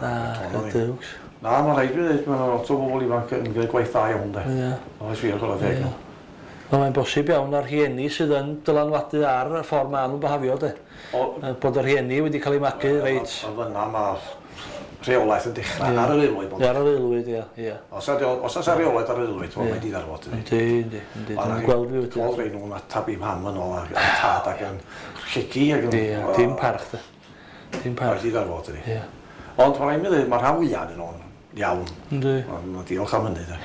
na, na, na. Na, mae'n rhaid i ddweud, mae'n lot o bobl ifanc yn gwneud gwaith da iawn, de. Ie. Oes wir, chwarae teg. Wel, mae'n bosib iawn a'r rhieni sydd yn dylanwadu ar y ffordd maen nhw'n byhafio, de. Bod y rhieni wedi cael eu magu reit. O fyna mae rheolaeth yn dechrau ar yr aelwyd. Ar yr aelwyd, ia, ia. Os oes rheolaeth ar yr aelwyd, mae'n mynd i ddarfod. Yndi, yndi, yndi. Dwi'n gweld fi wedi. Gweld rei nhw'n atab i mam yn ôl a'r tad ac yn rhegi ac yn... Ie, dim parch, de. Dim parch. Mae'n di ddarfod, ydi. Ie. Ond mae'n rhaid mi ddweud, mae rhan fwyaf yn nhw'n iawn. Yndi. Diolch am hynny, de.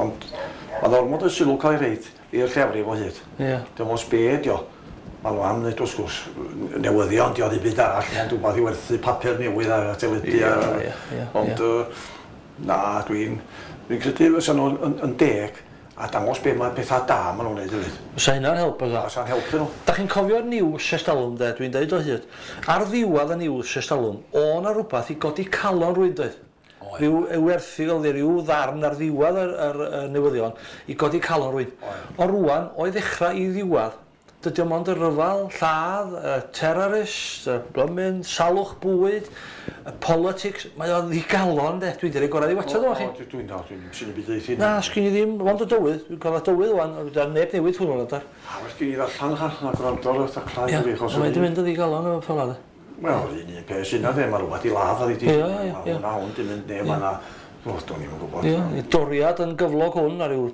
Ond mae'n ormod o sylw cael ei reid i'r llefrif o hyd. Ie. Dim ots be ydi o. Maen nhw am wneud wrth gwrs newyddion, dio ddim byd arall, ond rhywbeth i werthu papur newydd a teledu. Ond na, dwi'n credu fysa nhw'n yn deg A dangos be mae pethau da maen nhw'n neud hefyd. Fysa hynna'n help fysa. A sa'n helpu nhw. Da chi'n cofio'r news ers talwm de, dwi'n deud o hyd. Ar ddiwedd y news ers talwm, o 'na rwbath i godi calon rywun doedd? Oedd. Rhyw erthygl neu ryw ddarn ar ddiwedd yr newyddion i godi calon rywun. Oedd. Ond rŵan, o'i ddechrau i ddiwedd, dydy o mond y rhyfel, lladd, y terrorist, y blymyn, salwch bwyd, y politics, mae o'n ddigalon de, dwi 'di rhoi gorau i watsad o chi. O, dwi'n dal, dwi'n sy'n y byd eith Na, sgyn i ddim, mond y dywydd, dwi'n cael y dywydd wan, a neb newid hwnnw na dar. A well gen i ddarllen cha, na gwrando ar y taclau Ia, i fi, achos mae 'di mynd yn ddigalon efo ffordd de. Wel, un peth sy'n na de, mae rhywbeth i ladd a di. Ia, ia, ia. Mae hwn di mynd, neu mae na, o, do'n i'm yn gwybod. Ia, doriad yn gyflog hwn ar ryw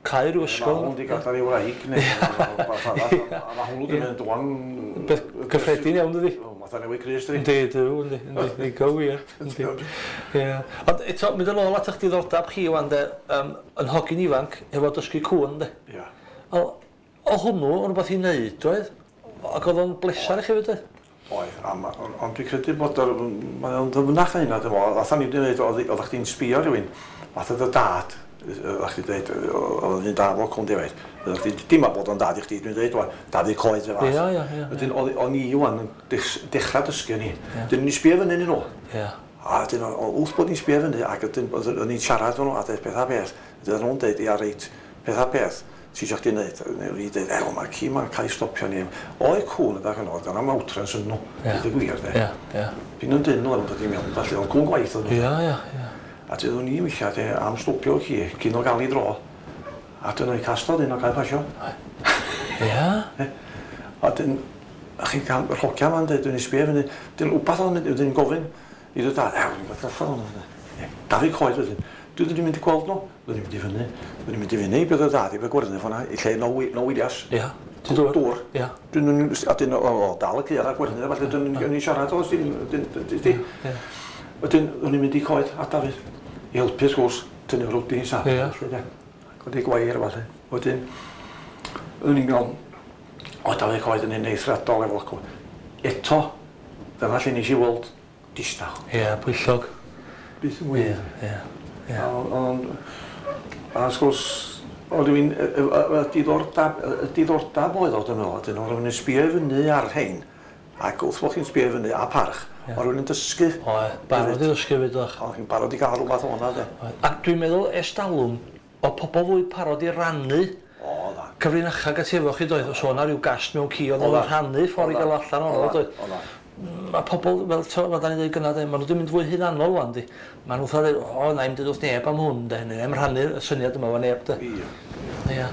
cau ryw Mae ysgol. hwn di gadael ei wraig, neu rhywbeth arall. A mae hwnnw di mynd wan... Beth cyffredin iawn dydi? Matha newid Crist, di. Yndi, dyw, yndi, yndi, yndi, go wir, yndi. Ie. Ond eto, mynd yn ôl at eich diddordeb chi wan de, yn hogyn ifanc, efo dysgu cŵn de. Ia. O hwnnw yn rhywbeth i wneud, oedd? Ac oedd o'n blesar i chi fyd, oedd? Oedd, ond dwi'n credu bod mae o'n ddyfnach na hynna, dwi'n meddwl. Fatha ni wedi dweud, oeddech chdi'n sbio rhywun, fatha dy dad, oeddech chdi'n dweud, oedd un da fo cwn defaid. Oeddech chdi, dim a bod o'n dad i chdi, dwi'n dweud, wan, dad i coed y fath. Ia, ia, ia. Wedyn, o'n i wan yn dechrau dysgu ni. Dyn ni'n sbio fyny nhw. Ia. A dyn, wrth bod ni'n sbio fyny, ac o'n i'n siarad efo nhw, a dweud peth a beth. Dyn nhw'n dweud, ia, reit, peth a beth. Ti isio chdi wneud? Neu fi dweud, ew, mae'r ci ma'n cael ei stopio ni. Oedd cŵn ydych yn oed, yna outrance yn nhw, Ia. dweud y gwir, de. Ia, ia. Pyn nhw'n dyn nhw yn dod i mewn, felly oedd cŵn gwaith oedd nhw. Ia, ia, ia. A dweud o'n i weithiau, de, am stopio ci, cyn o gael ei dro. A dyn nhw'n castod un o gael pasio. Ia? A dyn, chi'n cael, yr hogia ma'n dweud, dwi'n sbio fyny, dyn wbath o'n mynd, dwi'n gofyn i ddod dad, ew, dwi'n gofyn allan o'n Dafydd Coed wedyn. Dwi wedi mynd i gweld nhw, dwi wedi mynd i fyny, dwi wedi mynd i fyny i bydd y dad i bydd gwyrdd ffordd i lle no Williams. Ia. Ti'n dŵr? Dŵr. Ia. Dyn a dyn o, dal y caead a gwyrdd, felly dyn ni'n siarad o, dyn, Ia. Wedyn, o'n i'n mynd i coed at Dafydd, i helpu wrth gwrs, tynnu rwdi sa. Ia. Codi gwair a falle. Wedyn, o'n i'n gael, o Dafydd Coed yn un eithriadol efo cw. Eto, dyna lle nes i weld distaw. Ia, pwyllog. Byth yn wir. Ia, ia. Ond, a wrth gwrs, oedd rhywun, y diddordeb oedd o, dwi'n meddwl, dyn nhw, rhywun yn sbio i fyny ar rhain, ac wrth bod chi'n sbio i fyny a parch, oedd rhywun yn dysgu. Oedd, barod i ddysgu fyd o'ch. Oedd chi'n barod i gael rhywbeth o'na, de. Ac dwi'n meddwl ers talwm, o pobl fwy parod i rannu O, dda. cyfrinachau ati efo chi doedd, os o'na rhyw gast mewn ci, oedd o'n rhannu ffordd i gael allan ohono doedd. O, dda. Mae pobl, fel fel da ni'n dweud gynna, maen nhw wedi mynd fwy hunanol wan, di. Maen nhw'n dweud, o, na i'm dweud wrth neb am hwn, de, neu i'm rhannu'r syniad yma efo neb, de. Ie. Ia.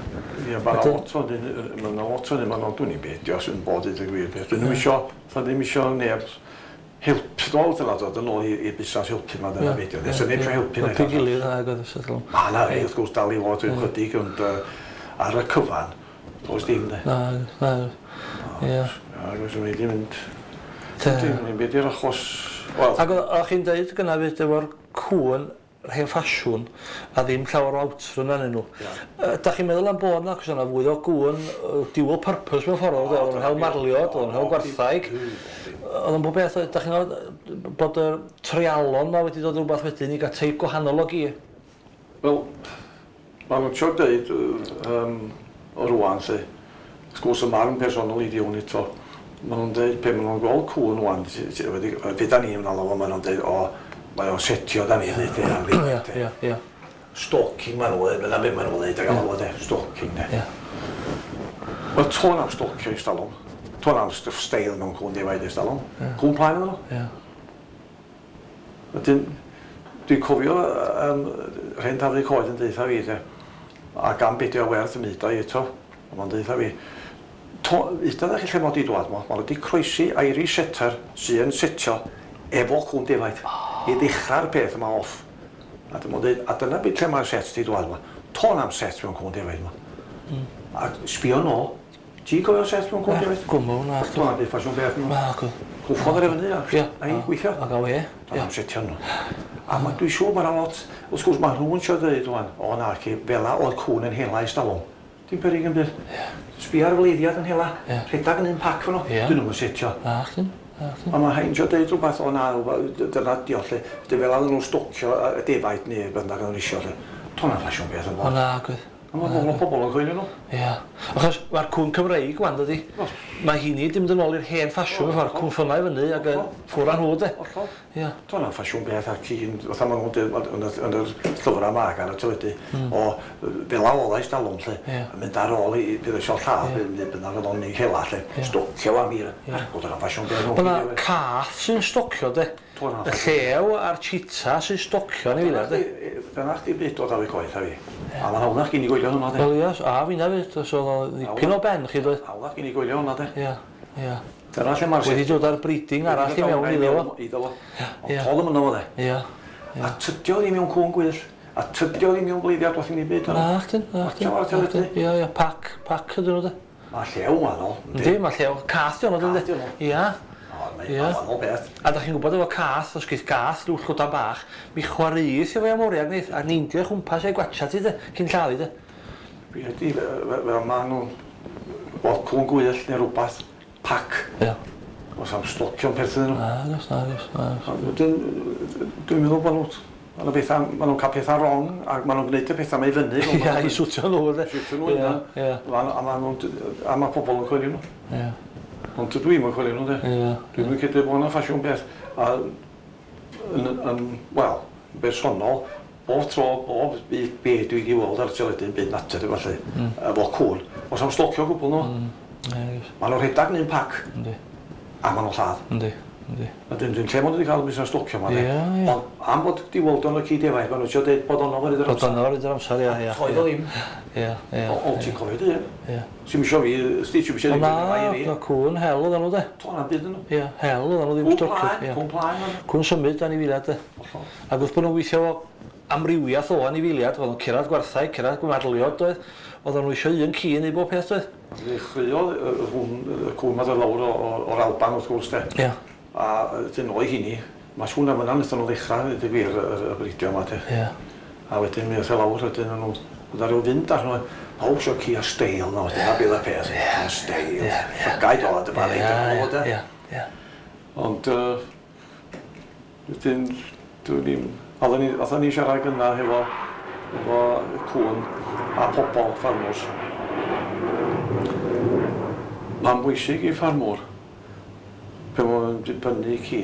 Ie, mae 'na lot o hynny, mae 'na lot o hynny, mae 'na, dwi'n i'n beidio sy'n bod i ddweud gwir beth. Dwi'n ddim isio, fatha ddim isio neb help, dwi'n meddwl dyna dod yn ôl i'r busnes helpu ma, dyna beidio. Nes neb isio helpu Helpu gilydd, ag oedd y Ma' 'na rei wrth gwrs dal i fod yn chydig, ond ar y cyfan, does dim de. Na, na, ie. Ac os yw'n mynd, dim byd i'r achos, wel... Ac o'ch chi'n deud gynna fyd efo'r cŵn hen ffasiwn a ddim llawer o outrun arnyn nhw. Da chi'n meddwl am bod 'na, achos yna fwy o gŵn dual purpose mewn ffordd, oedd o'n hel marliod, oedd o'n hel gwarthag, oedd o'n bob beth, da chi'n meddwl bod y treialon ma wedi dod rhywbeth wedyn i gael teip gwahanol o gi? Wel, maen nhw'n trio deud o rŵan, lle, wrth gwrs y marn personol i di hwn eto, maen nhw'n deud, pe maen nhw'n gweld cŵn rŵan, fe da ni'n alw fo, maen nhw'n deud, o, mae o'n setio da ni'n dweud, Ia, ia, ia. Stalking maen nhw'n dweud, dyna beth maen nhw'n dweud, ac alw fo de, stalking de. Ia. Wel, tôn am stalkio i stalwm. Tôn am steil mewn cŵn defaid i stalwm. Cŵn plaen oedden nhw. Ia. Wedyn, dwi'n cofio rhen Dafydd Coed yn deutha fi, de, ac am beidio werth y myd o eto, ond mae'n deutha fi, udodd chi lle mod i dwad mo, maen nhw wedi croesi Irish Setter sy'n setio efo cŵn defaid i ddechrau'r peth yma off. A dyma dweud, a dyna beth lle mae'r set di dwad yma. Tôn am set mewn cŵn defaid yma. A sbio nôl, ti'n cofio set mewn cŵn defaid? Gwmw, na. Tôn am beth ffasiwn beth nhw. Na, gwmw. Cwffodd ar efo Ia. a i gweithio. A gael e. Tôn am setio nhw. A dwi'n siŵr mae'n lot, wrth gwrs mae rhywun eisiau dweud rwan, o na, ci, fela oedd cŵn yn hela i stalwm. Dim peryg yn byd. Sbia ar wleiddiad yn hela, rhedag yn un pac fan nhw, dyn nhw'n setio. Na, chdi. A mae hain eisiau dweud rhywbeth, o na, dyna dio lle, dy fel oedden nhw'n stocio y defaid neu beth bynnag oedden nhw eisiau lle. Tôn am ffasiwn beth yn O na, gwyd. A mae pobl yn coelio nhw. Ia. Achos mae'r cwn Cymreig wan, dydi? Mae hynny di mynd yn ôl i'r hen ffasiwn, ffordd cwn ffynnau fyny ac yn ffwr â nhw, de. Hollol. Ia. Do'n am ffasiwn beth a cyn, fatha maen nhw'n dweud yn yr llyfrau yma ar y teledu, o fel a oedd ers talwm, lle, yn mynd ar ôl i bydd eisiau lladd, neu bynnag oedd o'n ei hela, lle, stocio am hir. Bod o'n ffasiwn beth. Mae yna cath sy'n stocio, de. Y llew a'r cheetah sy'n stocio yn ei fila, de. Dyna chdi byd dod ar ei coeth a fi. A mae'n hawddach gen i goelio hwnna, de. Wel, ia, a finna fyd, so oedd o'n ddipyn o ben chi, doedd. Hawddach gen i goelio hwnna, de. Ia, ia. Dyna lle mae'r... Wedi dod â'r breeding arall i mewn iddo fo. Iddo fo. Ond todd yn fo, de. Ia. A tydio ddim mewn cwn gwyll. A tydio ddim mewn bleiddiad wrth i ni byd. Na, chdi, na, chdi. Ia, ia, pac ydyn nhw, de. Mae llew wahanol. Yndi, mae llew. Cath di hwnnw, dyndi? Ia. Mae'n wahanol beth. A da chi'n gwybod efo cath, os geith gath rhyw llwdan bach, mi chwaraeith efo amoriag neith, a neindio o'i chwmpas a'i gwatcha ti, de, cyn lladdu, de. Fi ydi, fel maen nhw'n bod cwn gwyll neu rhywbeth, pac. Ia. Os am stocio'n perthyn nhw. Nagos, nagos, nagos. Dwi'n meddwl bod nhw, maen nhw'n cael pethau wrong, a maen nhw'n gwneud y pethau mae i fyny. Ia, i swtio nhw, de. Swtio nhw, ia. A mae pobl yn coelio nhw. Ia. Ond dwi ddim yn coelio nhw, de. Dwi'n mynd credu bod hwnna'n ffasiwn beth. A, wel, bersonol, bob tro, bob be dwi wedi weld ar y teledu yn byd natur, efallai, efo cwn, os am stocio gwbl nhw, maen nhw'n rhedeg yn un pac, a maen nhw'n lladd. Yndi, yndi. A dyn lle maen nhw wedi cael y busnes stocio yma, de. Ond am bod di weld o'n y ci defaid, maen nhw'n trio deud bod o'n ofer i'r amser. Bod o'n ofer i'r amser, ia, ia. Toedd o ddim. Ia, ia. O, ti'n cofio dy un? Ia. Ti'n isio fi, sti, ti'n isio fi Na, na, cwn hel oedden nhw, de. To, na'n byd yn nhw. Ia, hel oedden nhw ddim stocio. Cwn plaen, cwn symud anifeiliaid, de. Ac wrth bod nhw'n weithio amrywiaeth o anifeiliaid, oedden nhw'n cyrraedd gwarthau, cyrraedd gwarliod, doedd. Oedden nhw eisiau un ci neu bob peth, doedd. Ddechreuodd hwn, y cwn ma ddod lawr o'r Alban, wrth gwrs, de. Ia. A dyn o'i hynny, mae sŵn am yna wnaethon nhw ddechrau, dweud y gwir, y bridio yma, de. Ia. A wedyn mi oedd e lawr, wedyn nhw, oedd ar ryw fynd ar nhw, pawb isio ci a steil na, wedyn, a bydd y peth, a steil, llygaid o, dyma reid yn ôl, de. Ia, ia. Ond, wedyn, dwi'n i'n, oedden ni siarad gynna hefo cwn a pobl ffarmwrs. Mae'n bwysig i ffarmwr, pe maen nhw'n dibynnu ci,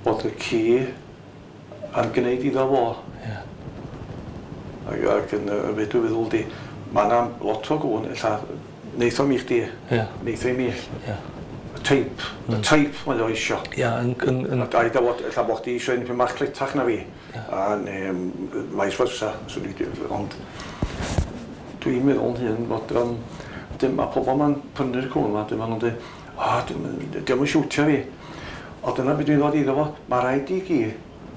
bod y ci yn gwneud iddo fo. Ia. Ac yn be dwi'n feddwl di, mae yna lot o gwn, ella, neith o mi chdi, neith o i mi. Ia. Y teip, y teip mae o isio. Ia, yn... A da i fod, ella bod chdi isio un pyn bach cletach na fi, a neu vice versa, ond dwi'n meddwl yn hyn bod, mae pobl ma'n prynu'r cwn yma, dwi'n meddwl dweud, o, diolch yn siwtio fi. O, dyna beth dwi'n ddod iddo fo, mae rhaid i gi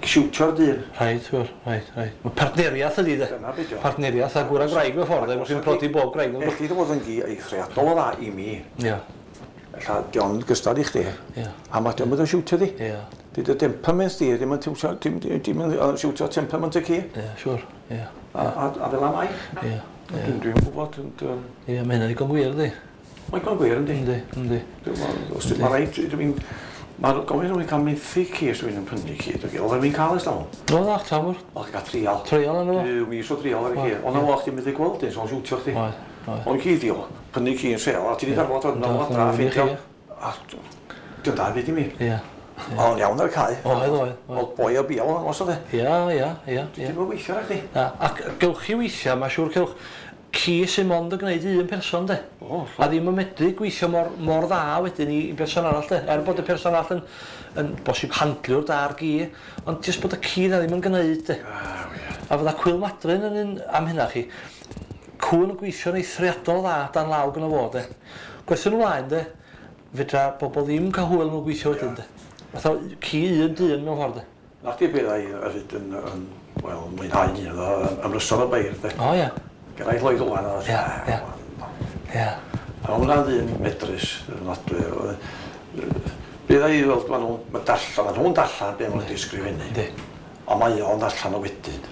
siwtio'r dyn. Rhaid, rhaid, rhaid. Mae partneriaeth ydi, de. Dyna beth yw. Partneriaeth a gŵr a gwraig mewn ffordd, de, chi'n prodi bob gwraig. Elli dy fod yn gi eithriadol o dda i mi. Ia. Ella, dio'n gystad i chdi. Ia. A mae dio'n mynd yn siwtio di. Ia. Di dy temperament di, dim yn siwtio temperament y ci. Ia, siwr, ia. A fel am ai. Ia. Dwi'n gwybod, ond... Ia, mae hynna'n ddigon gwir, di. Mae'n gwir gwir, yndi? Yndi, yndi. Mae rhaid, dwi'n... Mae'n gofyn rhywun cael menthu ci os dwi'n prynu ci. Oedd rhywun cael ers talwm. No, ddach, tamwr. Oedd cael trial. Trial yna fo? Dwi'n isio trial ar y ci. Ond na chdi'n mynd i gweld un, so'n siwtio chdi. Oedd, oedd. Ond ci di o, prynu ci yn sel, a ti di darfod o'n ôl adra, a ffeindio. A di'n da byd i mi. Ia. O'n iawn ar y cae. Oedd, oedd. Oedd boi o biol yn os oedd e. Ia, ia, ia. Dwi'n mynd weithio ar chdi. Ac gewch chi weithio, mae'n siŵr cewch ci sy'n mond yn gwneud un person, de. A ddim yn medru gweithio mor dda wedyn i berson arall, de. Er bod y person arall yn bosib handliwr da ar gi, ond jyst bod y ci na ddim yn gwneud, de. A fydda cwyl madryn yn un am hynna chi. Cwn yn gweithio'n eithriadol dda dan law gyda fo, de. Gwerthyn ymlaen, de, fedra bobl ddim cael hwyl nhw'n gweithio wedyn, de. Fatha ci un dyn mewn ffordd, de. Na chdi beth ai hefyd yn, wel, mwynhau ni, ymryson y beirdd, de. O, ia. Geraint Lloyd Owen oedd. Ia, ia. Ia. A hwnna'n ddyn medrus, ofnadwy. Bydd ei weld, maen nhw'n darllen, maen nhw'n darllen be maen nhw wedi ysgrifennu. Yndi. Ond mae o'n darllen o wedyn.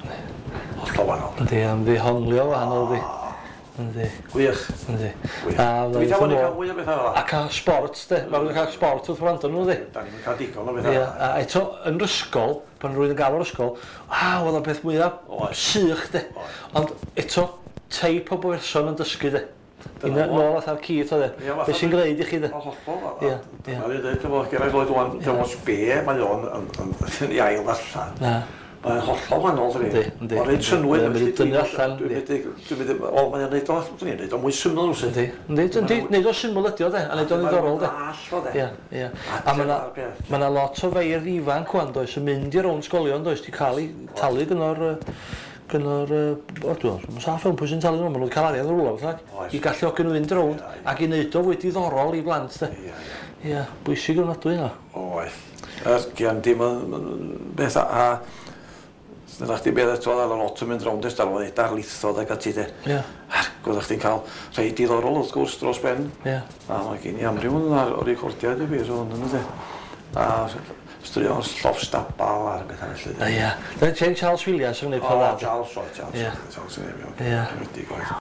Hollol wahanol. Yndi, am ddehonglio wahanol, yndi. Yndi. Gwych. Yndi. Gwych. Dwi'n cael cael mwy o bethau fel 'na. A cael sport, de. Mae rhywun cael sport wrth wrando nhw, yndi. Da ni'n cael digon o bethau. Ia, a eto, yn yr ysgol, pan rwy'n yn gael o'r ysgol, a, oedd o'n beth mwyaf sych, de. Ond eto, teip o berson yn dysgu de. Dyna nôl atha'r Keith oedd e. Be sy'n gwneud i chi de? O hollol. Ie. Dyna ni'n dweud efo Geraint Lloyd ŵan, dim ots be mae o'n yn ei ail ddarllen. Na. Mae'n hollol wahanol, dydi? Yndi, yndi. Mae'n rhaid synnwyr. Mae'n mynd i dynnu allan. Dwi'n mynd i... O, mae'n neud o, dwi'n neud o mwy syml rwsut. Yndi, yndi, yndi, neud o syml ydi o de, a neud o'n ddiddorol de. Mae'n o de. Ie, ie. A mae yna lot o feirdd ifanc wan, does, yn mynd i'r rownd sgolion, does, di cael ei talu gyno'r gyno'r, o, dwi'n meddwl, saff iawn pwy sy'n talu nhw, maen nhw wedi cael arian o rwla, beth i galluogi nhw fynd rownd ac i wneud o fwy diddorol i blant, de. Ie, ie. Ie, bwysig ofnadwy yna. Oedd. Yr dim yn beth a dyna chdi beth eto, oedd lot yn mynd rownd ers talwm, oedd darlithoedd ac ati de. Ie. Ac oeddech chdi'n cael rhai diddorol wrth gwrs dros ben. Ie. A mae gen i amryw yn ar o'r recordiau dy fi, so yn de. A straeon lloff stabal a'r bethau felly. Ie. Dyna Jane Charles Williams yn gwneud O, peth dda. Charles, o, Charles. Ie. Charles yn ei Ie. Wedi gwaith.